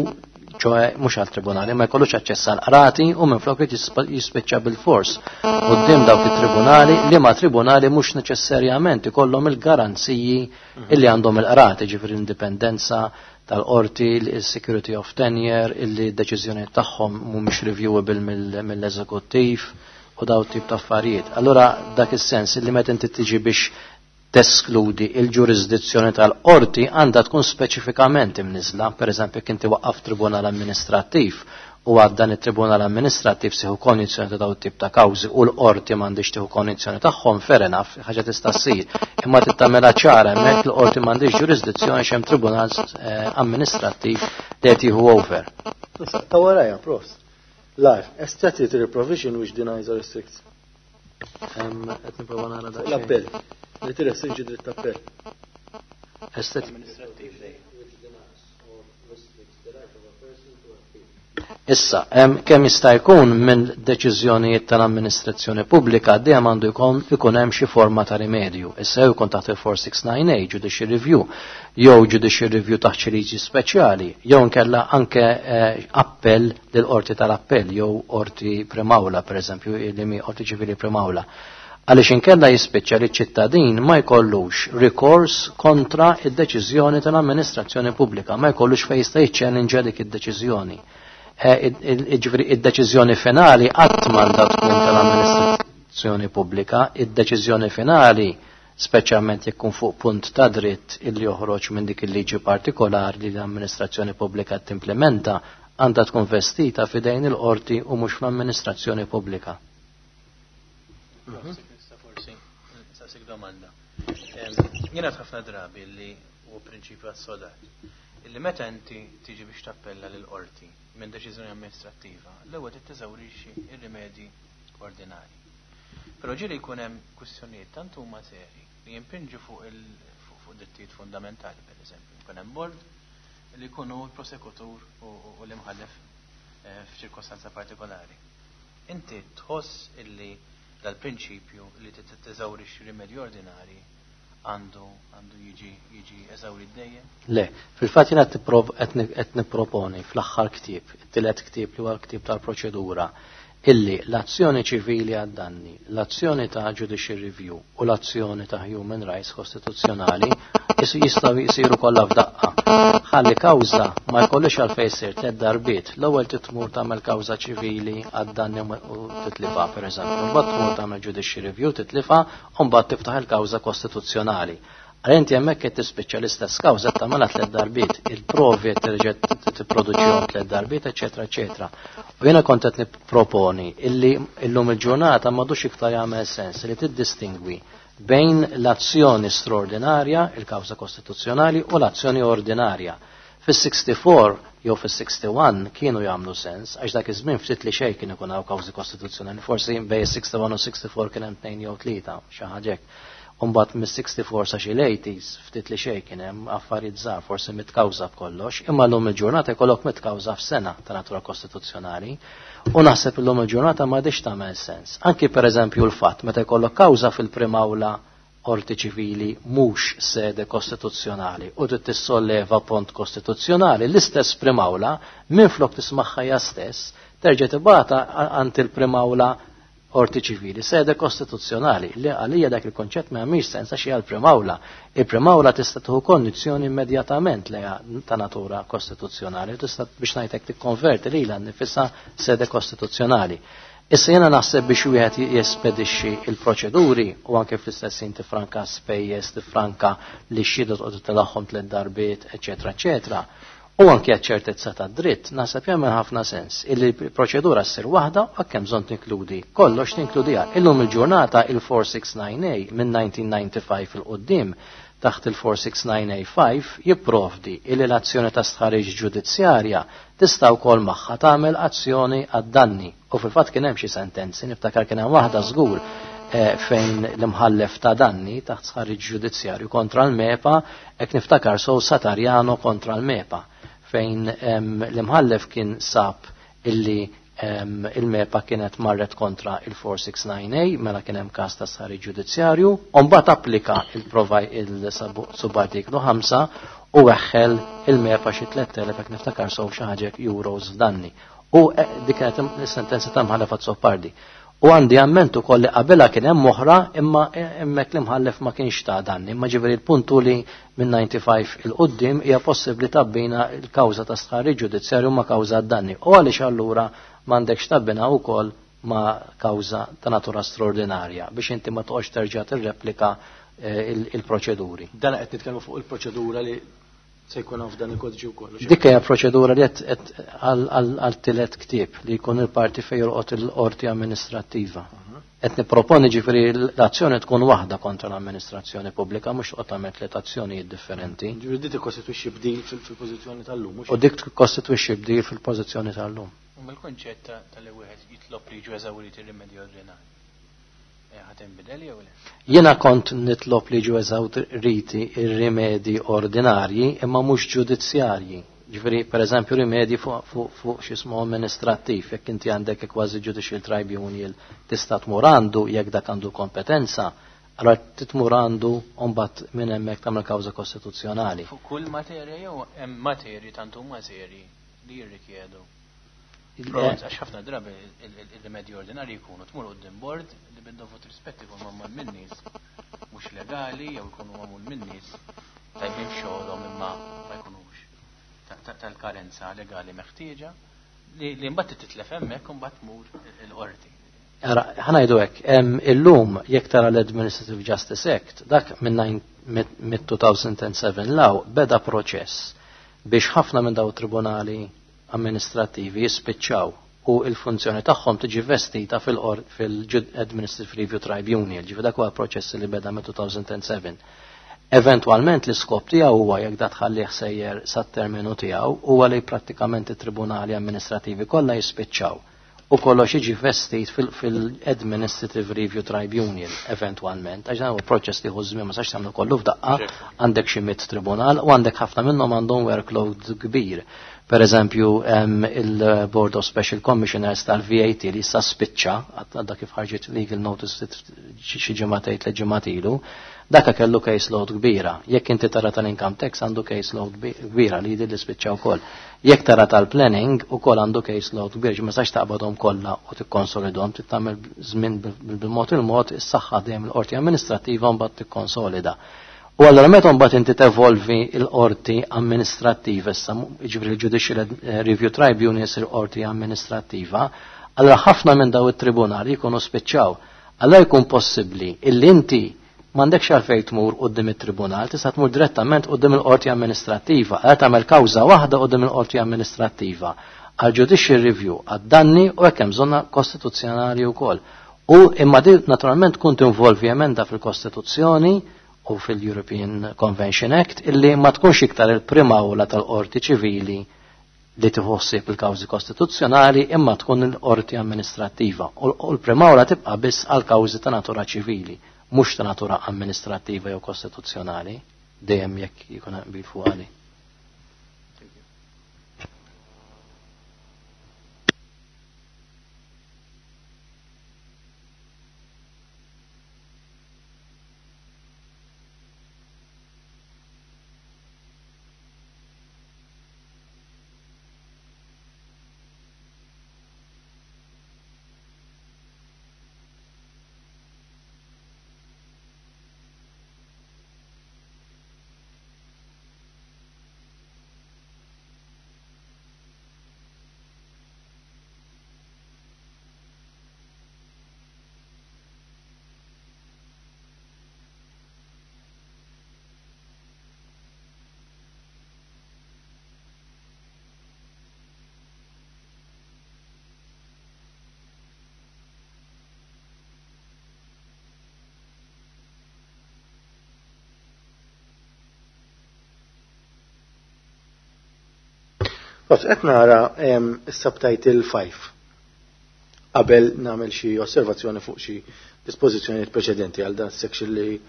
ċoħe mhux għal tribunali ma jkollux aċċess għal qrati u minflok jispiċċa bil-fors quddiem dawk it-tribunali li ma tribunali mhux neċessarjament ikollhom il-garanziji illi għandhom il-qrati, ġifieri l-indipendenza tal-qorti, il-security of tenure, illi d-deċiżjoni tagħhom mhumiex reviewable mill-eżekuttiv u daw tip ta' affarijiet. Allura dak is-sens illi meta inti tiġi biex teskludi il-ġurisdizzjoni tal-qorti għandha tkun speċifikament imniżla, per eżempju jekk inti waqqaf tribunal amministrattiv u għad dan it-tribunal amministrattiv sieħu kondizzjoni ta' daw tip ta' kawżi u l-qorti m'għandix tieħu kondizzjoni tagħhom, fair enough, ħaġa tista' ssir. Imma tittamela ċara hemmhekk l-qorti m'għandix ġurisdizzjoni x'hemm tribunal eh, amministrattiv li qed jieħu over. Issa, ta' warajja, profs. Life, a statutory provision which denies or restricts. Em, Qed nipprova nara daqsxejn. L-appell. Li tirrestrinġi dritt appell. Estet- Issa, em, kemm jista' jkun minn deċiżjonijiet tal-amministrazzjoni pubblika dejjem għandu jkun ikun hemm xi forma ta' rimedju. Issa jew jkun taħt il-four six nine A judicial review, jew judicial review taħt xi liġi speċjali, jew inkella anke eh, appell lill qorti tal-appell jew qorti primawla pereżempju, li mi qorti ċivili primawla. Għaliex inkella jispiċċa li ċ-ċittadin ma jkollux rikors kontra id-deċiżjoni tal-amministrazzjoni pubblika, ma jkollux fejn jista' jiċċellinġa dik id-deċiżjoni. Ġifieri id-deċiżjoni finali qatt m'għandha tkun tal-amministrazzjoni pubblika, id-deċiżjoni finali speċjalment jekk ikun fuq punt ta' dritt illi joħroġ minn dik il-liġi partikolari li l-amministrazzjoni pubblika timplementa għandha tkun vestita f'idejn il-qorti u mhux fl-amministrazzjoni pubblika. Domanda. Jiena ħafna drabi li u prinċipju assodat Illi meta inti tiġi biex tappella lil qorti minn deċiżjoni amministrattiva, l-ewwel trid teżawrixxi ir-rimedji ordinari. Però ġieli jkun hemm kwistjonijiet tant huma seri li jimpinġu fuq il fuq drittijiet fundamentali, per eżempju. Jkun hemm bord li jkunu l-prosekutur u l-imħallef eh, f'ċirkostanza partikolari. Inti tħoss illi dal-prinċipju li teżawrixxi rimedji ordinari għandu għandu jiġi jiġi eżawrit dejjem? Le, fil-fatt jiena qed nipproponi fl-aħħar ktieb, it-tielet ktieb li huwa l-ktieb tal-proċedura, illi l-azzjoni ċivili għad-danni, l-azzjoni ta' judicial review u l-azzjoni ta' human rights kostituzzjonali jistgħu jsiru kollha f'daqqa. Ħalli kawża ma jkollix għalfejn jsir tliet darbiet. L-ewwel titmur tagħmel kawża ċivili għad-danni u titlifa pereżempju, mbagħad tmur tagħmel judicial review titlifa u mbagħad tiftaħ il-kawża kostituzzjonali. Għal inti hemmhekk qed tispiċċa l-istess kawża tagħmilha tliet darbiet, il-provi qed terġa' tipproduċihom tliet darbiet, eċetera, eċetera. U jiena kont qed nipproponi illi illum il-ġurnata m'għadux iktar jagħmel sens li tiddistingwi bejn l-azzjoni straordinarja, il-kawża kostituzzjonali, u l-azzjoni ordinarja. Fis-sixty-four jew fis-sixty-one kienu jagħmlu sens, għax dak iż-żmien ftit li xejn kien ikun hawn kawżi kostituzzjonali, forsi bejn sixty-one u sixty-four kien hemm tnejn jew tlieta, xi ħaġa hekk. Umbagħad mis-sixty-four sa xi l-eighties ftit li xejn kien hemm affarijiet żgħar, forsi mitt kawża b'kollox, imma llum il-ġurnata jkollok mitt kawża f'sena ta' natura kostituzzjonali. U naħseb illum il-ġurnata m'għadix tagħmel sens. Anki pereżempju l-fatt meta jkollok kawża fil-primawla qorti ċivili mhux sede kostituzzjonali u trid tissolleva pont kostituzzjonali, l-istess primawla minflok tismagħha hija stess terġa' tibgħatha għand il-primawla qorti ċivili, sede kostituzzjonali, li għalija dak il-konċett ma jagħmilx sens għax hija l-primawla. Il-primawla tista' tieħu kondizzjoni immedjatament li hija ta' natura kostituzzjonali, tista' biex ngħidlek tikkonverti lilha nnifisha sede kostituzzjonali. Issa jiena naħseb biex wieħed jespedixxi il-proċeduri u anke fl-istess ħin tifranka spejjeż, tifranka li x-xhieda toqgħod tilagħhom tliet darbiet, eċetera, eċetera. U anke ċertezza ta' dritt, naħseb jagħmel ħafna sens illi l-proċedura ssir waħda u hekk hemm bżonn tinkludi kollox tinkludiha. Illum il-ġurnata il-four six nine A minn nineteen ninety-five il quddiem taħt il-four six nine A five jipprovdi illi l-azzjoni ta' stħarriġ ġudizzjarja tista' wkoll magħha tagħmel azzjoni għad-danni. U fil-fatt kien hemm xi sentenzi, niftakar kien hemm waħda żgur, eh, fejn l-imħallef ta' danni taħt stħarriġ ġudizzjarju kontra l-MEPA, hekk niftakar sow Satarjano kontra l-MEPA, fejn, em, l-imħallef kien sab illi, em, il-MEPA kienet marret kontra il-four six nine A, mela kien hemm każ ta' stħarriġ ġudizzjarju, u mbagħad applika il-provaj il-subartiklu ħamsa u weħħel il-MEPA xi tliet elef hekk niftakar sew xi ħaġa euros f'danni. U, eh, dik kienet is-sentenza ta' mħallef Azzopardi. U għandi amment ukoll li qabilha kien hemm oħra, imma hemmhekk l-imħallef ma kienx ta' danni. Imma ġifieri l-punt hu li minn ninety-five il quddiem hija possibbli tabbina l-kawża ta' stħarriġ ġudizzjarju ma' kawża danni. U għaliex allura m'għandekx tabbina wkoll ma' kawża ta' natura straordinarja biex inti ma toqgħodx terġa' tirreplika, eh, il-, il-proċeduri. Dan qed nitkellmu fuq il-proċedura li se jkun hawn f'dan il-kodiċi wkoll. Dik hija proċedura li qed, qed għal, għal, għal tielet ktieb li jkun il-parti fejn jolqot il-qorti amministrattiva. Mhm. Qed nipproponi ġifieri l-azzjoni tkun waħda kontra l-amministrazzjoni pubblika, mhux toqgħod tagħmel tliet azzjonijiet differenti. Ġifieri dik tikkostitwixxi bdil fil-, fil-pożizzjoni tal-lum, mhux U dik tikkostitwixxi bdil fil-pożizzjoni tal-lum. U mill-kunċett ta-, tal-li wieħed jitlob li jiġu eżawriti r-rimedji ordinari. Eh, ħa tinbidel jew le? Jiena kont nitlob li jiġu eżawriti r-rimedji ordinarji imma mhux ġudizzjarji. Ġifieri, pereżempju, rimedji fuq, fuq, fuq xi ismu amministrattiv, jekk inti għandek kważi judicial tribunal tista' tmur għandu jekk dak għandu kompetenza, allora titmur għandu u mbagħad minn hemmhekk tagħmel kawża kostituzzjonali. Fuq kull materja jew hemm materji tant huma serji li jirrikjedu? Il- Pront, għax ħafna drabi il-, il-, il-rimedji ordinarji jkunu tmur quddiem bord li bid-dovut rispetti jkunu magħmul minn nies mhux legali jew jkunu magħmul minn nies tajbin f'xogħolhom imma ma jkunux ta-, ta-, tal-karenza legali meħtieġa li, li mbagħad titlef hemmhekk u mbagħad tmur il-qorti. Ara, ħanajdu hekk, em, illum jekk tara l-Administrative Justice Act, dak minn nine, mid, mid two thousand and seven law beda proċess biex ħafna minn daw tribunali amministrativi jispiċċaw u il-funzjoni tagħhom tiġi vestita fil-qor-, fil-Administrative Review Tribunal, ġifieri dak huwa proċess li beda minn two thousand and seven. Eventwalment l-iskop tiegħu huwa jekk da tħallih sejjer sat-terminu tiegħu huwa li prattikament it-tribunali amministrativi kollha jispiċċaw u kollox jiġi vestit fil-Administrative Review Tribunal eventwalment, għax dan huwa proċess li żmien ma sax tagħmlu kollu f'daqqa, għandek xi mitt tribunal u għandek ħafna minnhom għandhom workload kbir. Per eżempju, il-Board of Special Commissioners tal-V A T li issa spiċċa, għadha kif ħarġet legal notice xi ġimgħatejn tliet ġimgħat ilu, daka kellu case load kbira. Jekk inti tara tal-income tax għandu case load kbira li jidil li spiċċa wkoll. Jekk tara tal-planning ukoll għandu case load kbira, ma sax taqbadhom kollha u tikkonsolidhom, trid tagħmel żmien bil-mod il-mod is-saħħa dejjem il-qorti amministrattiva mbagħad tikkonsolida. U allura meta mbagħad inti tevolvi l-qorti amministrattiva issa, jiġifieri l-Judicial Review Tribunal isir qorti amministrattiva, allura ħafna minn daw it-tribunali jkunu spiċċaw. Allura jkun possibbli illi inti m'għandekx għalfejn tmur quddiem it-tribunal, tista' tmur direttament quddiem il-qorti amministrattiva, għal tagħmel kawża waħda quddiem il-qorti amministrattiva għal judicial review għad-danni u hekk hemm bżonna kostituzzjonali wkoll. U imma di naturalment tkun tinvolvi emenda fil-Kostituzzjoni u fil-European Convention Act illi ma tkunx iktar il-prima awla tal-qorti ċivili li tħossib il-kawżi kostituzzjonali imma tkun il-qorti amministrattiva u l-prima awla tibqa' biss għal kawżi ta' natura ċivili, mhux ta' natura amministrattiva jew kostituzzjonali, dejjem jekk jkun hemm qbil fuq għali. Qed nara is-subtitle five qabel nagħmel xi osservazzjoni fuq xi dispożizzjonijiet preċedenti għal dan section li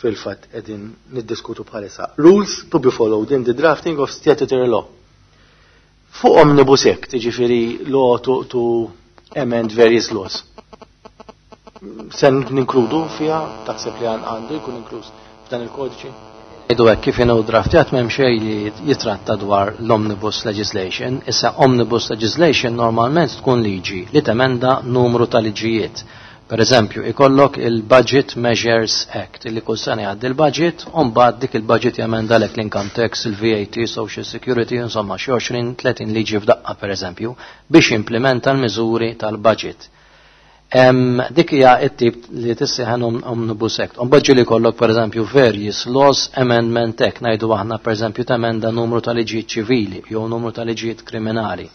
fil-fatt qegħdin niddiskutu bħalissa. Rules to be followed in the drafting of statutory law. Fuq Omnibus Act, jiġifieri law to, to amend various laws. Se ninkludu fiha, taħseb li għandu jkun inkluż f'dan il-kodiċi? Idu hekk kif inhu draftjat m'hemm xejn li jitratta dwar l-omnibus legislation. Issa omnibus legislation normalment tkun liġi li temenda numru ta' liġijiet. Per eżempju, ikollok il-Budget Measures Act, illi kull sena jgħaddi il-budget, u mbagħad dik il-budget jemenda lek l-income tax, il-V A T, Social Security, insomma xi għoxrin tletin liġi f'daqqa per eżempju, biex jimplementa l-miżuri tal-budget. Em, dik hija t-tip li tissieħen Omnibus Act. Mbagħad ġieli jkollok pereżempju various laws amendment act, ngħidu aħna pereżempju temenda numru ta' liġijiet ċivili jew numru ta' liġijiet kriminali.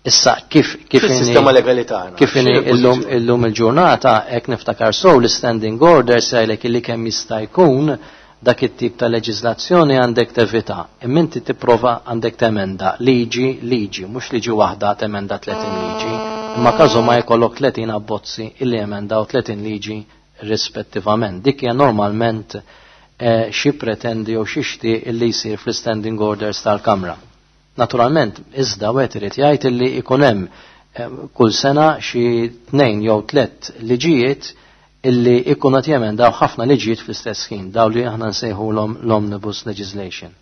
Issa kif, kif Fis-sistema inni legali tagħna, kif inni x'inhi illum, l-pożizzjoni? illum il-ġurnata hekk niftakar sew l-standing order sejlek illi kemm jista' jkun dak it-tip ta' leġiżlazzjoni għandek tevita. Imma inti tipprova għandek temenda liġi, liġi, mhux liġi waħda temenda tletin liġi. Imma każu ma jkollok tletin abbozzi illi emendaw tletin liġi rispettivament. Dik hija normalment, eh, xi pretendi jew xi xtieq illi jsir fl-standing orders tal-Kamra. Naturalment, iżda wieħed irid jgħid illi ikun hemm, eh, kull sena xi tnejn jew tliet liġijiet illi ikun qed jemendaw ħafna liġijiet fl-istess ħin, daw li aħna nsejħulhom l-omnibus legislation.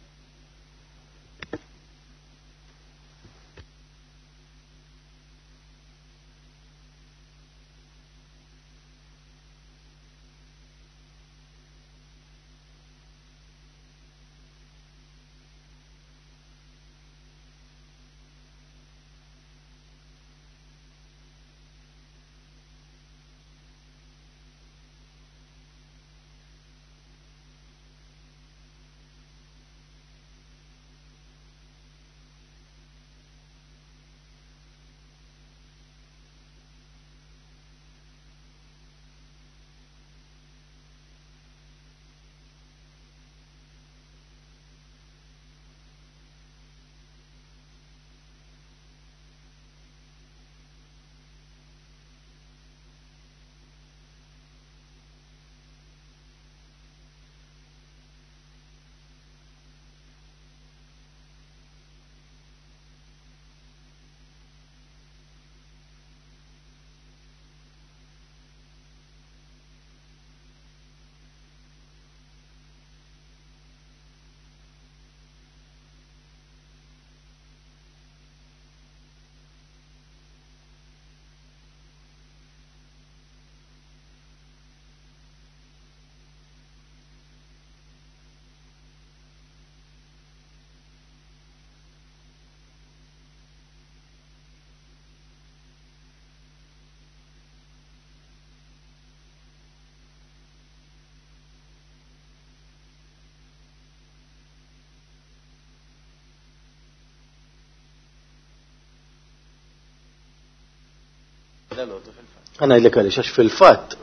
Dalgħodu fil-fatt. Ħa ngħidlek għaliex, għax fil-fatt,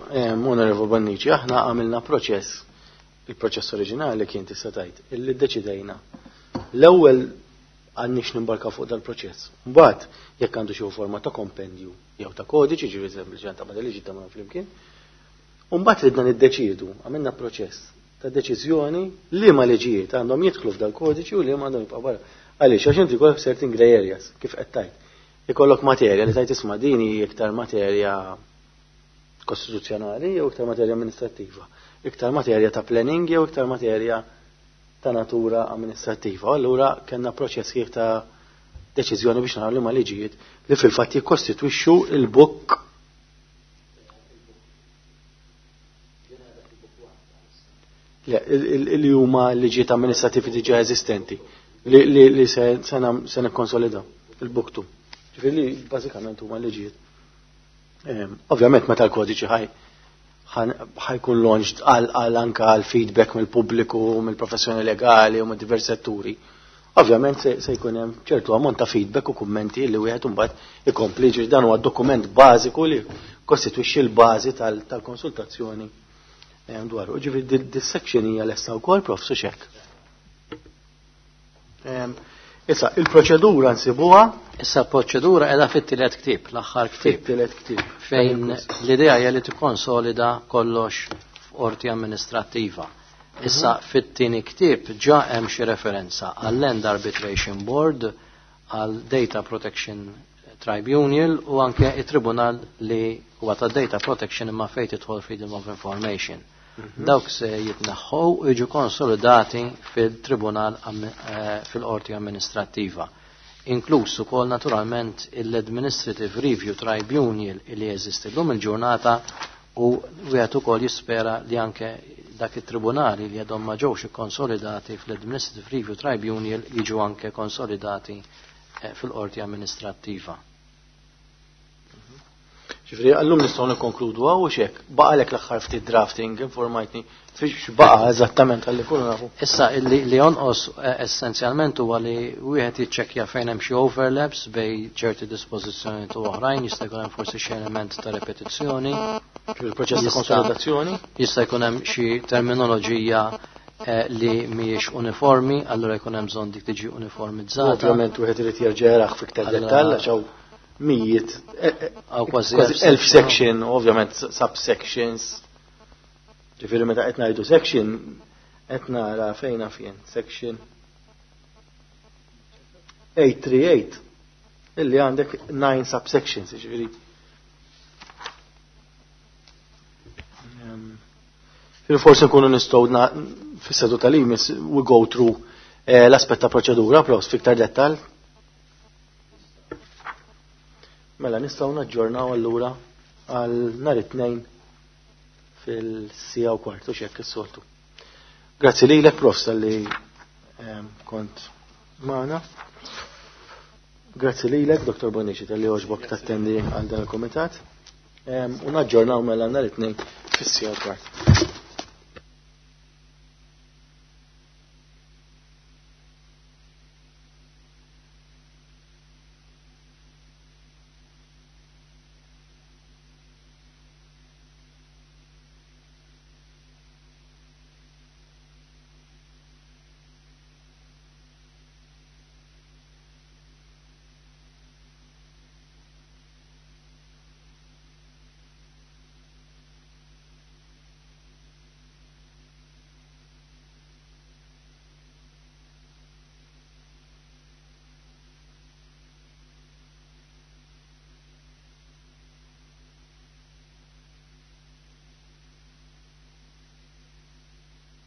Onorevole Bonnici, aħna għamilna proċess, il-proċess oriġinali kien tista' tgħid, illi ddeċidejna. L-ewwel għandniex nimbarka fuq dal-proċess. Mbagħad jekk għandu xi forma ta' kompendju jew ta' kodiċi, ġifieri sempliċement ta' liġi ta' flimkien. U mbagħad ridna niddeċiedu, għamilna proċess ta' deċiżjoni li ma liġijiet għandhom jidħlu f'dal-kodiċi u li ma għandhom jibqa' barra. Għaliex, għax inti jkollok certain grey areas, kif qed tgħid. Ikollok materja li tajt isma' din hi iktar materja kostituzzjonali jew iktar materja amministrattiva, iktar materja ta' planning jew iktar materja ta' natura amministrattiva. Allura kellna proċess kif ta' deċiżjoni biex naraw li ma liġijiet li fil-fatt jikkostitwixxu il-book li huma liġijiet amministrativi diġà eżistenti li, li, li se, se, se nikkonsolidaw il-book two. Ġifieri li bażikament huma liġijiet. Ehm, ovvjament meta l-kodiċi ħaj ħajkun launched għal għal anka għal feedback mill-pubbliku, mill-professjoni legali u minn diversi setturi. Ovvjament se, se jkun hemm ċertu ammont ta' feedback u kummenti li wieħed imbagħad ikompli, ġifieri dan huwa dokument bażiku li kostitwixxi l-bażi tal-konsultazzjoni ehm, dwaru. Ġifieri dis-section hija lesta wkoll, Prof Suxek. Ehm, issa, il-proċedura nsibuha. Issa l-proċedura qiegħda fit-tielet ktieb, l-aħħar ktieb. Fit-tielet ktieb. Fejn l-idea hija li tikkonsolida kollox f'qorti amministrattiva. Issa mhm. fit-tieni ktieb ġa hemm xi referenza għall-Land Arbitration Board, għal Data Protection Tribunal u anke it-tribunal li huwa ta' Data Protection imma fejn tidħol Freedom of Information. Mhm. Dawk se jitneħħu u jiġu konsolidati fil-tribunal eh, fil-qorti amministrattiva. Inkluż ukoll naturalment l-Administrative Review Tribunal li jeżisti llum il-ġurnata u wieħed ukoll jispera li anke dak it-tribunali li għadhom ma ġewx ikkonsolidati fl-Administrative Review Tribunal jiġu anke konsolidati eh, fil-qorti amministrattiva. Ġifieri għallum nistgħu nikkonkludu hawn xek, baqalek l-aħħar ftit drafting, informajtni fiex baqa' eżattament għalli kullu nafu. Issa li, li jonqos eh, essenzjalment huwa li wieħed jiċċekkja fejn hemm xi overlaps bej ċerti dispożizzjonijiet u oħrajn, jista' jkun hemm forsi xi element ta' repetizzjoni. Il-proċess ta' konsolidazzjoni. Jista' jkun hemm xi terminoloġija eh, li mhijiex uniformi, allura jkun hemm bżonn dik tiġi uniformizzata. Ovvjament wieħed irid jerġa' jarah fiktar dettall għax hawn mijiet, Aw kważi elf section, ovvjament subsections. Ġifieri meta qed ngħidu section, qed nara fejn fien, section eight three eight, illi għandek nine subsections, ġifieri. Ġifieri forsi nkunu nistgħu fis-seduta li jmiss we go through, eh, l-aspett ta' proċedura, pros fiktar dettall. Mela nistgħu naġġornaw allura għal nhar it-tnejn fil-sija u kwart u x'hekk is-soltu. Grazzi lilek, Prof, talli, ehm, kont magħna. Grazzi lilek, Doktor Bonnici, talli għoġbok tattendi għal dan il-kumitat. Ehm, u naġġornaw mela nhar it-tnejn fis-sija u kwart.